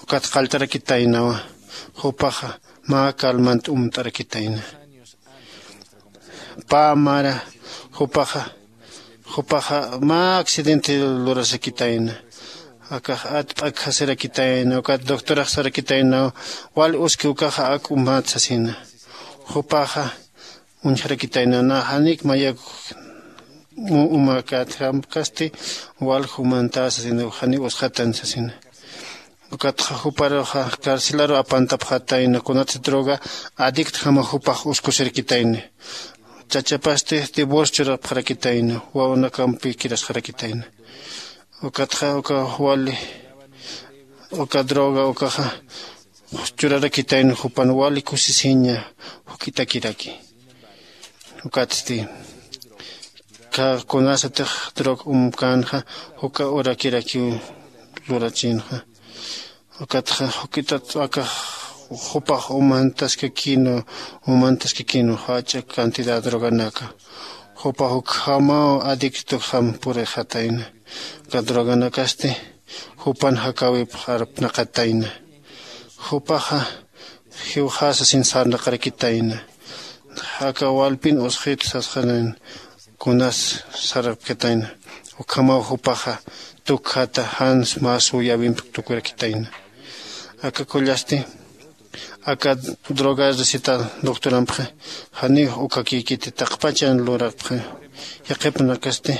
Ukat qalltarakitaynawa. Jupaxa mä calmant umt'arakitayna. Pä mara jupaxa, jupaxa mä accidente lurasakitayna. Akax atp'ak jasirakitayna, ukat doctorax sarakitayna, wal uski ukaxa ak umat sasina. Jupaxa uñjarakitayna, na janik mayak umakat jamkasti wal jumanta sasina, janiw usxatan sasina. Ukatxa juparuxa carcelaru apantapxatayna, kunatsa droga adictjama jupax uskusirkitayna. Chachapasti divorcio churapxarakitayna, wawanakampi kirasxarakitayna. Ukatxa uka wali, uka droga ukaxa churarakitayna, jupan wali kusisiña juk'itakiraki. Ukatsti kunasatix drog umkänxa, juka urakirakiw lurachinxa. Ukatxa juk'itat akax jupax umantaskakinu, umantaskakinu jach'a cantidad droganaka. Jupax ukhamaw adictokxam purixatayna. Uka droganakasti jupan jakäwipx arpnaqatayna. Jupaxa jiwxasasin sarnaqarakitayna. Aka walpin usqhit sasxanan kunas sarapkatayna. Ukhamaw jupaxa tukjata jans mä suyäwimp tukurakitayna. Aka kullasti aka droga receta doctorampxi janiw ukakïkiti, taqpachan lurapxi. Yaqhipanakasti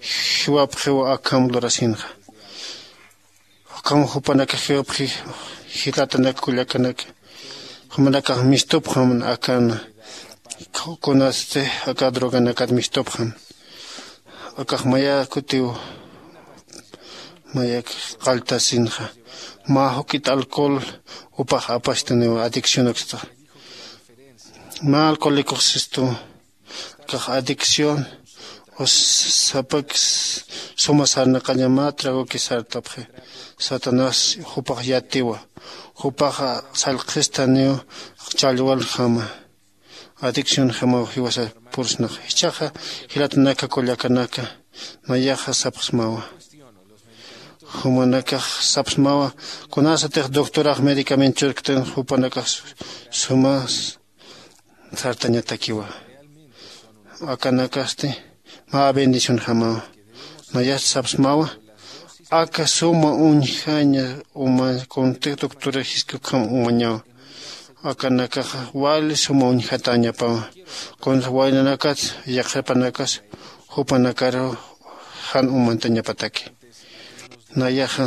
jiwapxiw akham lurasinxa. Ukham jupanakax jiwapxi jilatanak kullakanaka. Jumanakax mistupxam akan kunasti aka droganakat mistupxam. Akax maya kutiw mayak qalltasinxa. Mä juk'it alcohol jupax apastaniw adiccionaksta. Mä alcohólicox sistu. Akax adicción o sapak suma sarnaqaña mä tragoki sartapxi. Satanás jupax yatiwa. Jupaxa sallqhistaniw challwaljama. Adiccionjamaw jiwasa pursnax. Jichhaxa jilatanaka kullakanaka, nayaxa sapxsmawa. Jumanakax sapxsmawa, kunasatix doctorax medicamento churktan jupanakax suma sartañatakiwa. Akanakasti mä bendicionjamawa. Nayast sapxsmawa, aka suma uñjaña uma kunti doctora jiskukham umañawa. Akanakaxa wali suma uñjatañapawa. Kunsa waynanakat yaqhipanakas jupanakaru jan umantañapataki. Nayaxa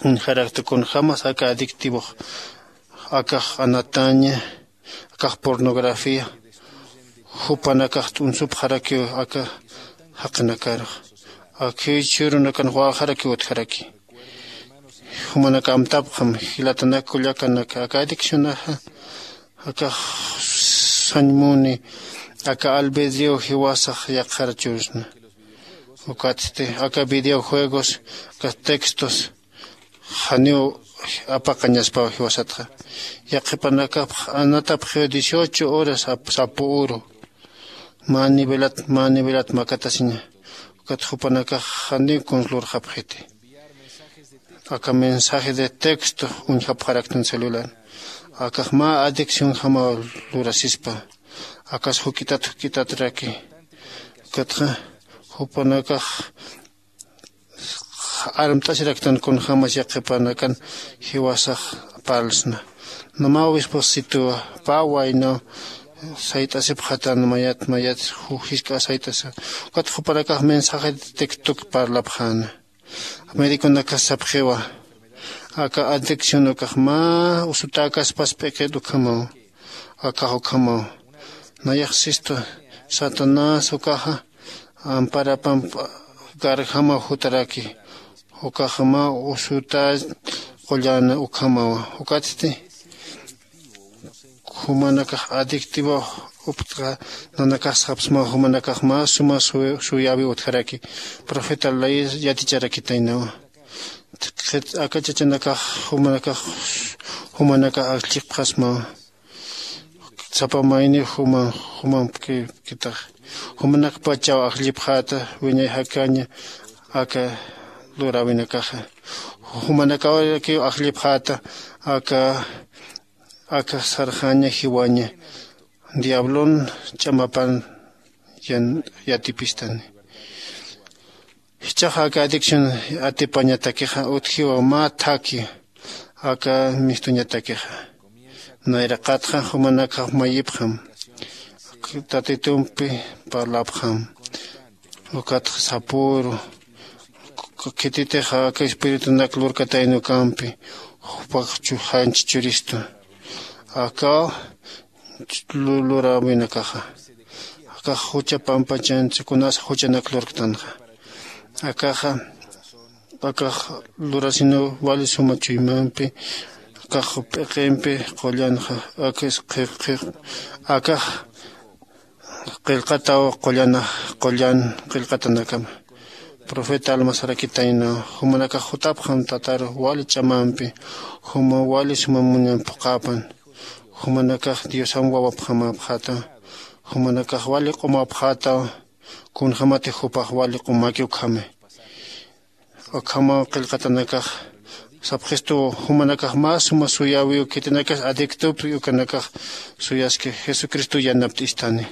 uñjarakta kunjämas aka adictivox, akax anataña, akax pornografía, jupanakax t'unsupxarakiw aka jaqinakarux. Akhiw jichhürunakan walxarakiw utjaraki. Jumanaka amtapxam, jilatanak kullakanaka, aka adiccionaxa, akax sañ muni, aka albedrío jiwasax yaqhar chusna. Ukatsti aka videojuegos, aka textos, janiw apaqañaspaw jiwasatxa. Yaqhipanakapx anatapxiw dieciocho horas ap- sapu uru. Mä nivelat, mä nivelat makatasiña. Ukat jupanakax janiw kuns lurxapxiti. aka mensaje de texto uñjapxaraktan celular. Akax mä adicción jamaw lurasispa. Akas juk'itat juk'itatraki. Ukatxa jupanakax armt'asiraktan kunjämas yaqhipanakan jiwasax parlsna. Mä obisposituwa pä waynaw sayt'asipxatan mayat mayat jisk'a sayt'asa. Ukat jupanakax mensaje de textok parlapxäna. Médiconakas sapxiwa aka adicción ukax mä usutäkaspas p'iqit ukhamaw. Akax ukhamaw nayax sistu satanás ukaxa amparapamp garjamaw jutaraki. Ukaxa mä usutä qullan ukhamawa. Ukatsti jumanakax adictivo uptqa nanakax sapsmaw jumanakax mä suma suyäwi utjaraki. Profeta ley yaticharakitaynawa. Aka chachanakax jumanakax jumanakax ajllipxasmawa. Sapa mayniw juman jumampkitax jumanakpachaw ajllipxäta wiñay jakaña. Aka luräwinakaxa jumanakawakiw ajllipxäta. Aka aka sarxaña jiwaña diablon ch'amapan yatipistani. Jichhaxa aka adicción atipañatakixa utjiwa mä thaki aka mistuñatakixa. Nayraqatxa jumanakax mayipxam tatitumpi parlapxam. Ukatxa sapüru khititixa aka espiritunak lurkataynukampi jupax janchi churistu akaw luräwinakaxa. Akax jucha pampachanchi kunasa juchanak lurktanxa. Akaxa akax lurasiniw wali suma chuymampi akax p'iqimpi qullanxa. Akax qhiq qhiq akax qillqataw qullanax qullan qillqatanakama. Profeta almasarakitaynaw jumanakax jutapxam tataru wali ch'amampi juma wali suma muñan phuqapan. Jumanakax diosam wawapxamapxätaw. Jumanakax wali q'umapxätaw. Kunjämatix jupax wali q'umaki ukhami. Ukhamaw qillqatanakax sapxistuw jumanakax mä suma suyäwiw khitinakas adictopki ukanakax suyaski jesucristo yanapt'istani.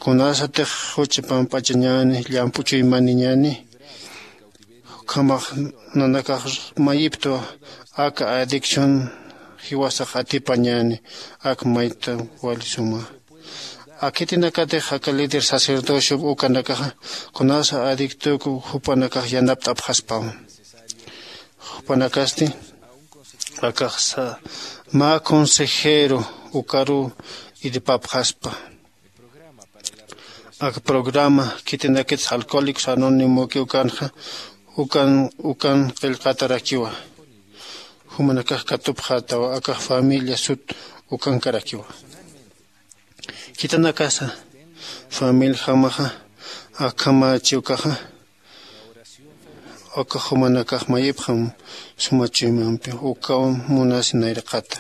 Kunasatix jucha pampachañäni llamp'u chuymaniñäni. Ukhamax nanakax mayiptwa aka adicción jiwasax atipañäni. Ak mayta wali suma akhitinakatix aka líder sacerdocio ukanakaxa kunasa adictoku jupanakax yanapt'apxaspawa. Jupanakasti akax mä consejero ukaruw irpapxaspa. Ak programa khitinakitsa alcohólicos anónimoki ukanxa ukan ukan qillqatarakiwa. Jumanakax katupxätawa akax familia sut ukankarakiwa. Khitinakasa familiajamaxa akhamachi ukaxa ukax jumanakax mayipxam suma chuymampi ukaw munasi nayraqata.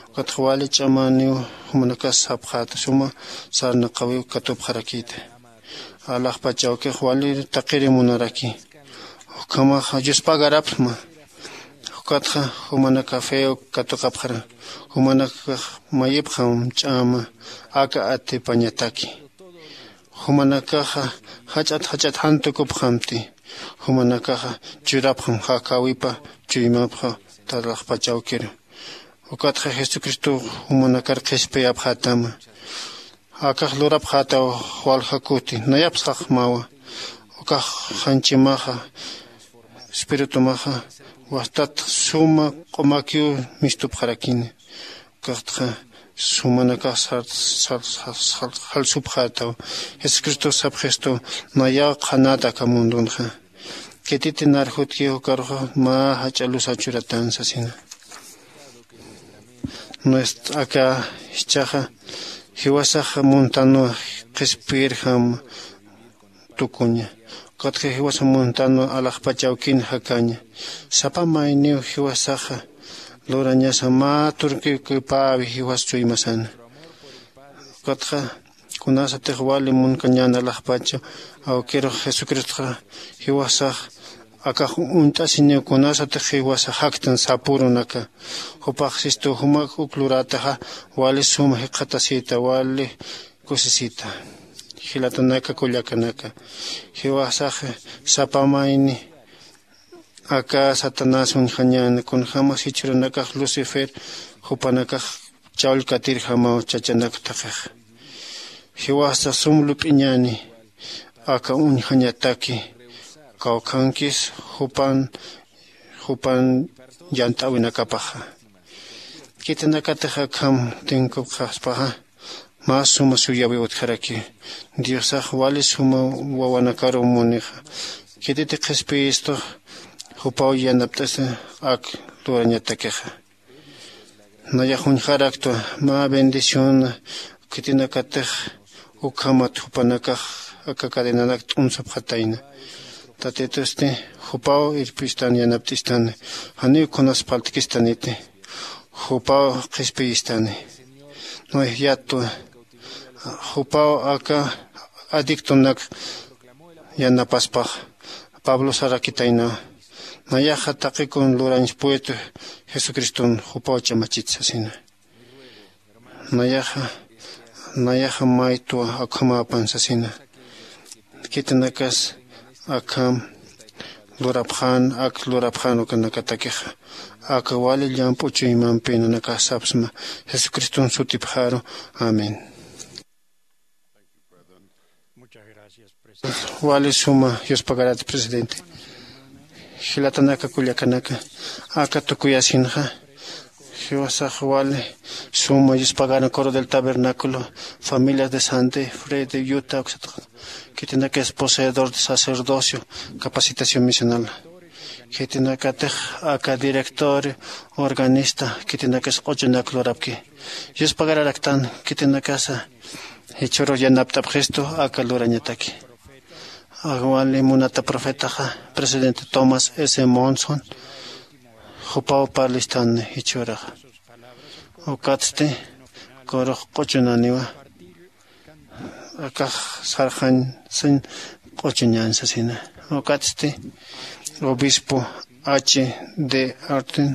Ukatxa wali ch'amaniw jumanakas sapxäta suma sarnaqawiw katupxarakïta. Alaxpachawkix wali taqiri munaraki. Ukhamaxa yuspagarapxma. Ukatxa jumanakax few katuqapxara. Jumanakax mayipxam ch'ama aka atipañataki. Jumanakaxa jach'at jach'at jan tukupxamti. Jumanakaxa churapxam jakäwipa chuymapxa talaxpachawkiru. Ukatxa jesucristow jumanakar qhispiyapxätama. Akax lurapxätaw walja kuti nayapxsxmawa. Ukax janchimaxa espiritumaxa wastat suma q'umakiw mistupxarakini. Ukatxa sumanakax jalsupxätaw. Jesucristox sapxistu nayaw qhanät aka mundunxa. Khititi narjutkiw ukaruxa mä jach'a lusaw churatan sasina. Nuestra aka jichhaxa jiwasax muntanwa qhispiyirjam tukuña. Ukatxa jiwasa muntanwa alaxpachawkin jakaña. Sapa mayniw jiwasaxa lurañasa mä turkikipäwi jiwas chuymasana. Ukatxa kunasatix wali munkañän alaxpachaw awkirux jesucristoxa jiwasax Akax uñt'asiniw kunasatix jiwasa jaktan sapürunaka. Jupax sistu jumak uk lurätaxa wali suma jikxatasita wali kusisita. Jilatanaka kullakanaka, jiwasax sapa mayni aka satanás uñjañäna kunjämas jichhürunakax lucifer jupanakax chawllkatirjamaw chachanak thaqixa. Jiwasa sum lup'iñäni aka uñjañataki kawkhankis jupan jupan yant'äwinakapaxa. Khitinakatix akham tinkupxaspaxa mä suma suyawï utjaraki. Diosax wali suma wawanakaruw munixa. Khititi qhispiyistux jupaw yanapt'asa ak lurañatakixa. Nayax uñjaraktwa mä bendición khitinakatix ukhamat jupanakax aka cadenanak t'unsapxatayna. Tatitusti jupaw irpistan yanapt'istani. Janiw kunas phaltkistaniti. Jupaw qhispiyistani. Noé yatwa jupaw aka adictonak yanapaspax pablo sarakitaynawa. Nayaxa taqikun lurañspuwit jesucriston jupaw chamachit sasina. Nayaxa nayaxa maytwa akhamäpan sasina. Khitinakas akham lurapxän ak lurapxän ukanakatakixa aka wali llamp'u chuymampi nanakax sapsma jesucriston sutipxaru. Amén. Wali suma yuspagarata presidente. Jilatanaka kullakanaka aka tukuyasinxa jiwasax wali suma yuspagaran coro del tabernáculo familias de sante fred de yuta uksatxa. Khitinakis poseedor de sacerdocio capacitación misional. Khitinakatix aka director organista khitinakis q'uchunak lurapki. Yuspagararaktan khitinakasa jichhürux yanapt'apxistu aka lurañataki. Wali munata profetaxa presidente tomás s monson jupaw parlistan jichhüraxa. Ukatsti corux q'uchunaniwa akax sarxañ sin q'uchuñan sasina. Ukatsti obispo h d artin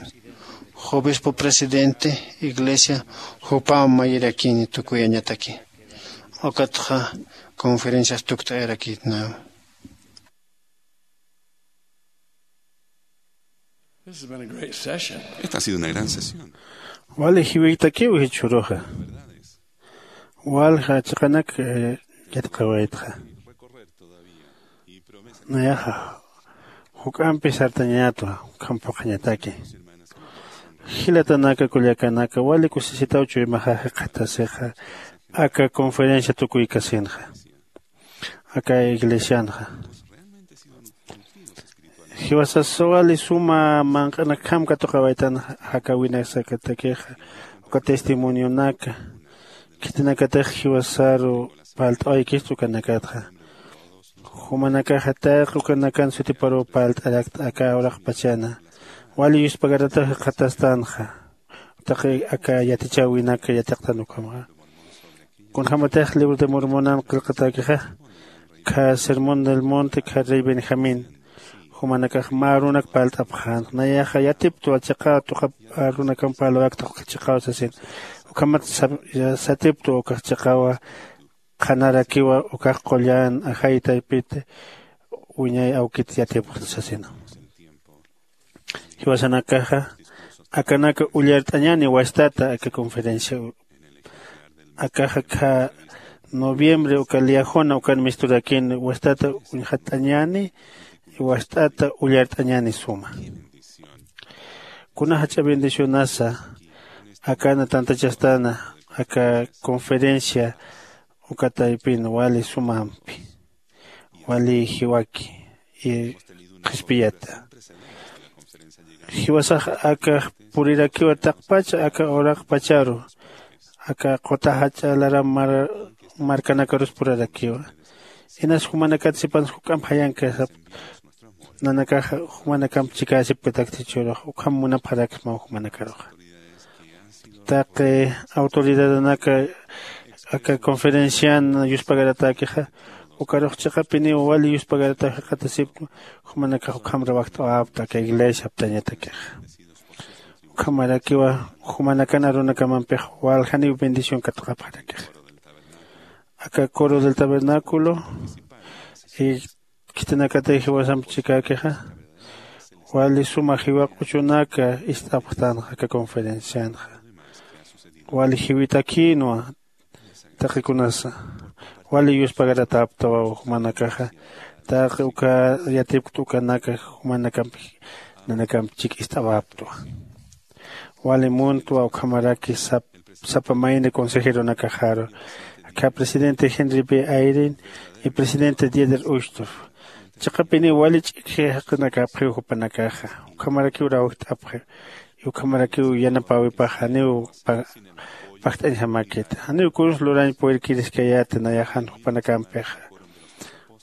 obispo presidente iglesia jupaw mayirakini tukuyañataki. Ukatxa conferencias tukt'ayarakitnaw. Esta ha sido una gran sesión. Wali jiwiktakiw jichhüruxa. Walja chiqanak yatqawaytxa. Nayaxa juk'ampi sartañatwa. Ukhampaqañataki jilatanaka kullakanaka wali kusisitaw chuymaxa jikxatasixa aka conferencia tukuykasinxa aka iglesianxa. Jiwasasawali suma manq'anakjam katuqawaytan jakawinaksakatakixa uka testimonionaka. Khitinakatix jiwasaru palt'awaykista ukanakatxa. Jumanakaxa taq ukanakan sutiparuw palt'arakta aka uraqpachana wali yuspagaratax jikxatastanxa. Taqi aka yatichäwinak yatiqtan ukhamaxa. Kunjämatix libro de mormonan qillqatäkixa kha sermón del monte kha rey benjamín jumanakax mä arunak parlt'apxänxa nayaxa yatiptwa chiqaw tuqap arunakamp parlawakta ukax chiqaw sasin. Ukhamat satiptwa ukax chiqawa qhanarakiwa ukax qullan ajay taypit wiñay awkit yatipxta sasina. Jiwasanakaxa akanaka ullart'añani wastata aka conferencia. Akaxa kha noviembre uka liajuna ukan misturakini wastata uñjatt'añani wast'ata ullart'añani suma. Kuna jach'a bendicionasa akana tantachastana aka conferencia uka taypin wali sumampi wali jiwaki qhispiyata. Jiwasax aka purirakiwa taqpacha aka uraqpacharu aka quta jach'a laram markanakarus purarakiwa. Inas jumanakat sipansa juk'amp jayankasap nanakax jumanakamp chikäsipkatakti churux ukham munapxaraksmaw jumanakaruxa. Taqi autoridadanaka aka conferencian yuspagaratäkixa Ukarux chiqapiniw wali yuspagaratap jikxatasipktu, jumanakax ukham rawajt'awapta aka iglesia aptañatakixa. Ukhamarakiwa jumanakan arunakamampix waljaniw bendición katuqapxarakixa. Aka coro del tabernáculo y khitinakatix jiwasamp chikäkixa wali suma jiwa q'uchunaka ist'apxtanxa aka conferencianxa. Wali jiwitakïnwa taqikunasa wali yuspagaratäptawa jumanakaxa. Taqi uka yatipkta ukanaka jumanakampi nanakamp chik ist'awaptwa. Wali muntwa ukhamaraki sap sapa mayni consejeronakaxaru, akha presidente Henry B. Eyring y presidente Dieter Uchtdorf. Chiqapiniw wali ch'ikji jaqinakapxiw jupanakaxa, ukhamarakiw rawjt'apxiw y ukhamarakiw yanapäwipax janiw pa pajt'añjamäkiti. Janiw kunsa lurañ purirkiriskayäti nayaxan jupanakampixa.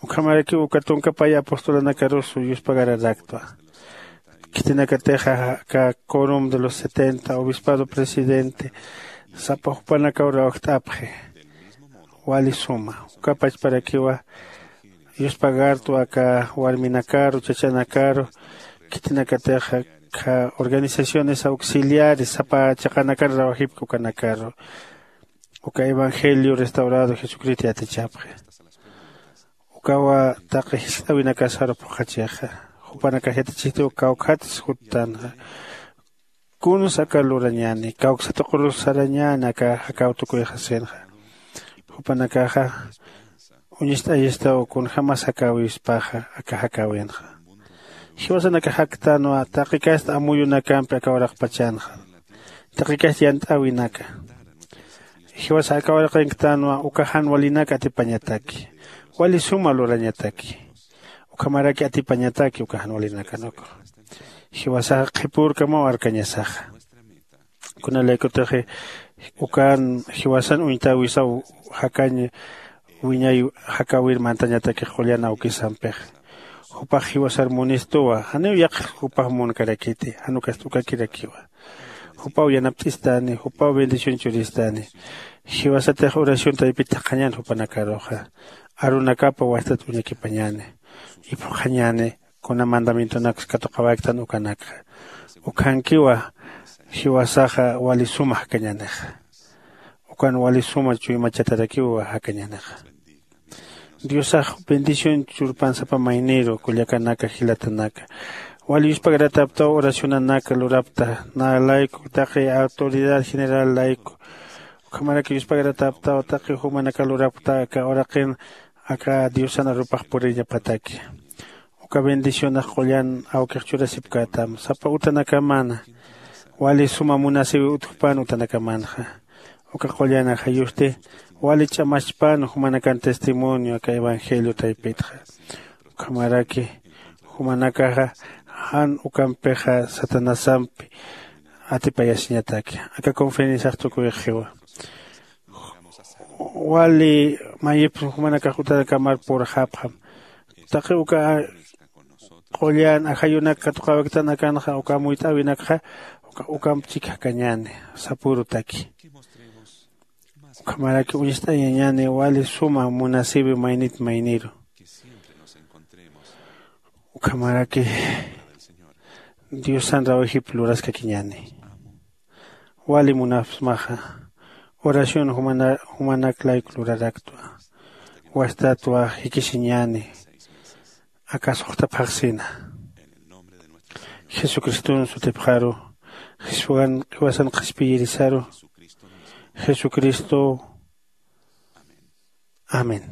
Ukhamarakiw uka tunka pay apostolanakarus yuspagaraktwa. Khitinakatixa aka corum de los setenta obispado presidente sapa jupanakaw rawjt'apxi. Wali suma uka pachparakiwa yuspagartwa aka warminakaru chachanakaru. Khitinakatixa organizaciones auxiliares sapa chiqanakan rawajipki ukanakaru uka evangelio restaurado jesucristo yatichapxi. Ukawa taqi jiskt'äwinakasaru phuqhachixa. Jupanakax yatichistiw kawkhatsa juttanxa. Kunsa aka lurañäni kawksa tuqurus sarañäni aka jakaw tukuyxasinxa. Jupanakaxa uñist'ayistaw kunjämas jakäwispaxa aka jakäwinxa. Jiwasanakax jaktänwa taqi kasta amuyunakampi aka uraqpachanxa. Taqi kasta yant'äwinaka jiwasa aka uraqinktänwa uka jan walinak atipañataki. Wali suma lurañataki ukhamaraki atipañataki uka jan walinakanakru. Jiwasaxa qhipürkamaw arkañasaxa. Kunalaykutixi ukan jiwasan uñtäwisaw jakañ wiñay jakäwir mantañatakix qullan awkisampix. Jupax jiwasar munistuwa janiw yaqhix jupax munkarakiti jan ukast ukakirakiwa. Jupaw yanapt'istani jupaw bendición churistani. Jiwasatix oración taypit thaqhañän jupanakaruxa arunakapa wastat uñakipañäni. Iphuqhañäni kuna mandamientonaks katuqawäktan ukanakxa. Ukhankiwa jiwasaxa wali suma jakañänixa. Ukan wali suma chuymachatarakiwa jakañänixa. Diosax bendición churpan sapa mayniru kullakanaka jilatanaka. Wali yuspagaratäptaw oracionanaka lurapta nä layku taqi autoridad general layku. Ukhamaraki yuspagaratäptaw taqi jumanaka lurapta aka uraqin aka diosan arupax puriñapataki. Uka bendicionax qullan awkix churasipkätam sapa utanakamana. Wali suma munasïwi utjpan utanakamanxa. Uka qullan ajayusti wali ch'amachpan jumanakan testimonio aka evangelio taypitxa. Ukhamaraki jumanakaxa jan ukampixa satanasampi atipayasiñataki. Aka conferenciax tukuyxiwa wali mayipsa jumanakax utanakamar purxapxam. Taqi uka qullan ajayunak katuqawaktan akanxa uka amuyt'äwinakxa ukamp chik jakañäni sapürutaki. Ukhamaraki uñst'ayañäni wali suma munasïwi maynit mayniru. Ukhamaraki diosan rawajip luraskakiñäni. Wali munapsmaxa oración jumanak layku luraraktwa. Wastatwa jikisiñäni. Aka suxta phaxsina jesucriston sutipxaru jiwasan qhispiyirisaru. Jesucristo. Amén.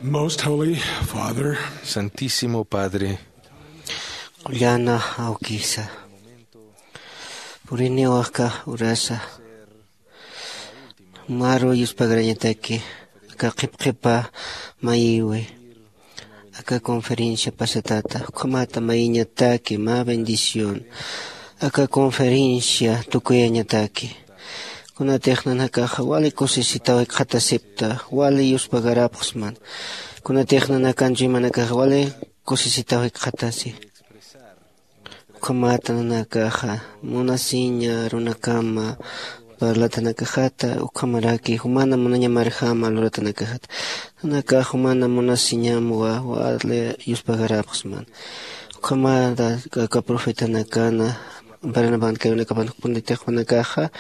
Most Holy Father, Santísimo Padre, Qullana awkisa, puriniw aka urasa maru yuspagarañataki aka qhipqhipa mayiwi aka conferencia pasatata, ukhamata mayiñataki mä bendición aka conferencia tukuyañataki. Kunatix nanakaxa wali kusisitaw jikxatasipta, wali yuspagarapxsman. Kunatix nanakan chuymanakaxa wali kusisitaw jikxatasi. Ukhamata nanakaxa munasiña runakama parlatanakaxata, ukhamaraki jumana munañamarjama luratanakaxata. Nanakax jumana munasiñamwa wali yuspagarapxsman. Ukhamata aka profetanakana baranaban kayunakapan jukpunditixpanakaxa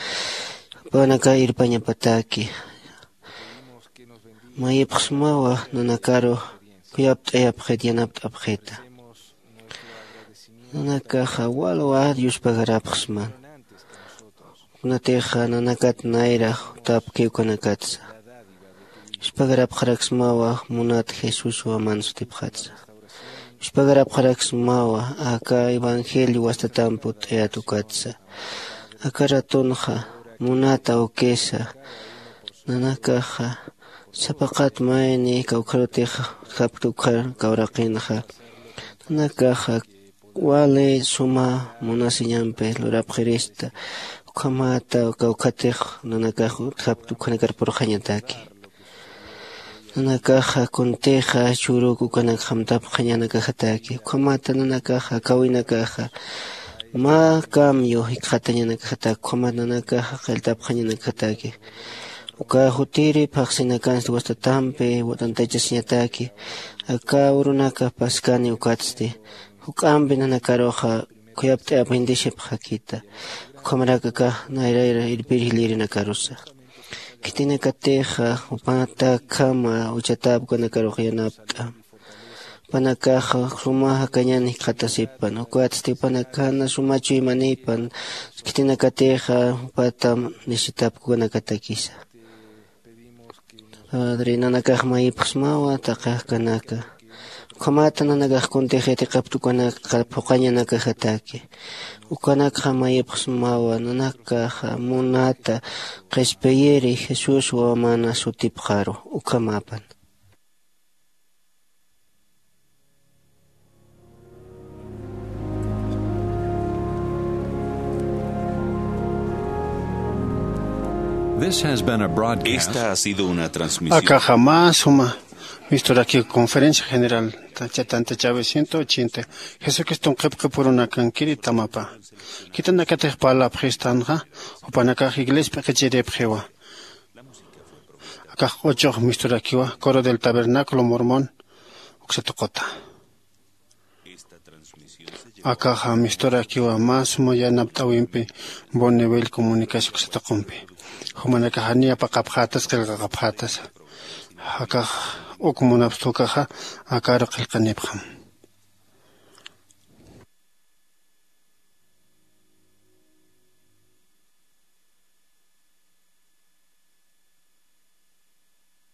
panaka irpañapataki. Mayipxsmawa nanakaru kuyapt'ayapxit yanapt'apxita. Nanakaxa walwa yuspagarapxsman. Kunatixa nanakat nayra jutapki ukanakatsa. Yuspagarapxaraksmawa munat Jesuswa man sutipxatsa. Yuspagarapxaraksmawa aka evangelio wastatamp utt'ayat ukatsa. Aka ratunxa munat awkisa nanakaxa sapaqat mayni kawkharutix japkta ukhar kawraqinxa nanakaxa wali suma munasiñampi lurapxirista. Ukhamata kawkhatix nanakax utjapkta ukhanakar purxañataki. Nanakaxa kuntixa churuk ukanak jamtapxañanakajataki. Ukhamata nanakaxa kawinakaxa mä cambio jikxatañanakajataki. Ukhamata nanakaxa qilltapxañanakajataki. Uka jutiri phaxsinakansti wastatampi watantachasiñataki. Aka urunaka paskani ukatsti juk'ampi nanakaruxa khuyapt'ayapxintisipxakita. Ukhamarakax nayrayra irpir jilïrinakarusa. Khitinakatixa jupanatakhama uchatap ukanakarux yanapt'am. Jupanakaxa suma jakañan jikxatasipan ukatsti jupanakana suma chuymanipan. Khitinakatixa jupatam nisitap ukanakatakisa. Padre nanakax mayipxsmawa taqi jakanaka. Ukhamata nanakax kuntix yatiqapta ukanakxa phuqañanakajataki. Ukanakxa mayipxsmawa nanakaxa munata qhispiyiri Jesús wamana sutipxaru. Ukhamapan. This has been a broadcast. Esta ha sido una transmisión. Akaxa mä suma misturaki conferencia general tachatan tachawi ciento ochenta. Jesucriston qhipqhipurunakankiri tamapa. Khitinakatix parlapxistanxa jupanakax iglesia p'iqichiripxiwa. Akax q'uchux misturakiwa coro del tabernáculo mormón uksatuquta. Akaxa misturakiwa mä suma yanapt'awimpi bonneville comunicación uksatuqumpi. Jumanakaxa niyapaqapxatas qillqaqapxatas. Akax uk munapstukaxa akaru qillqanipxam.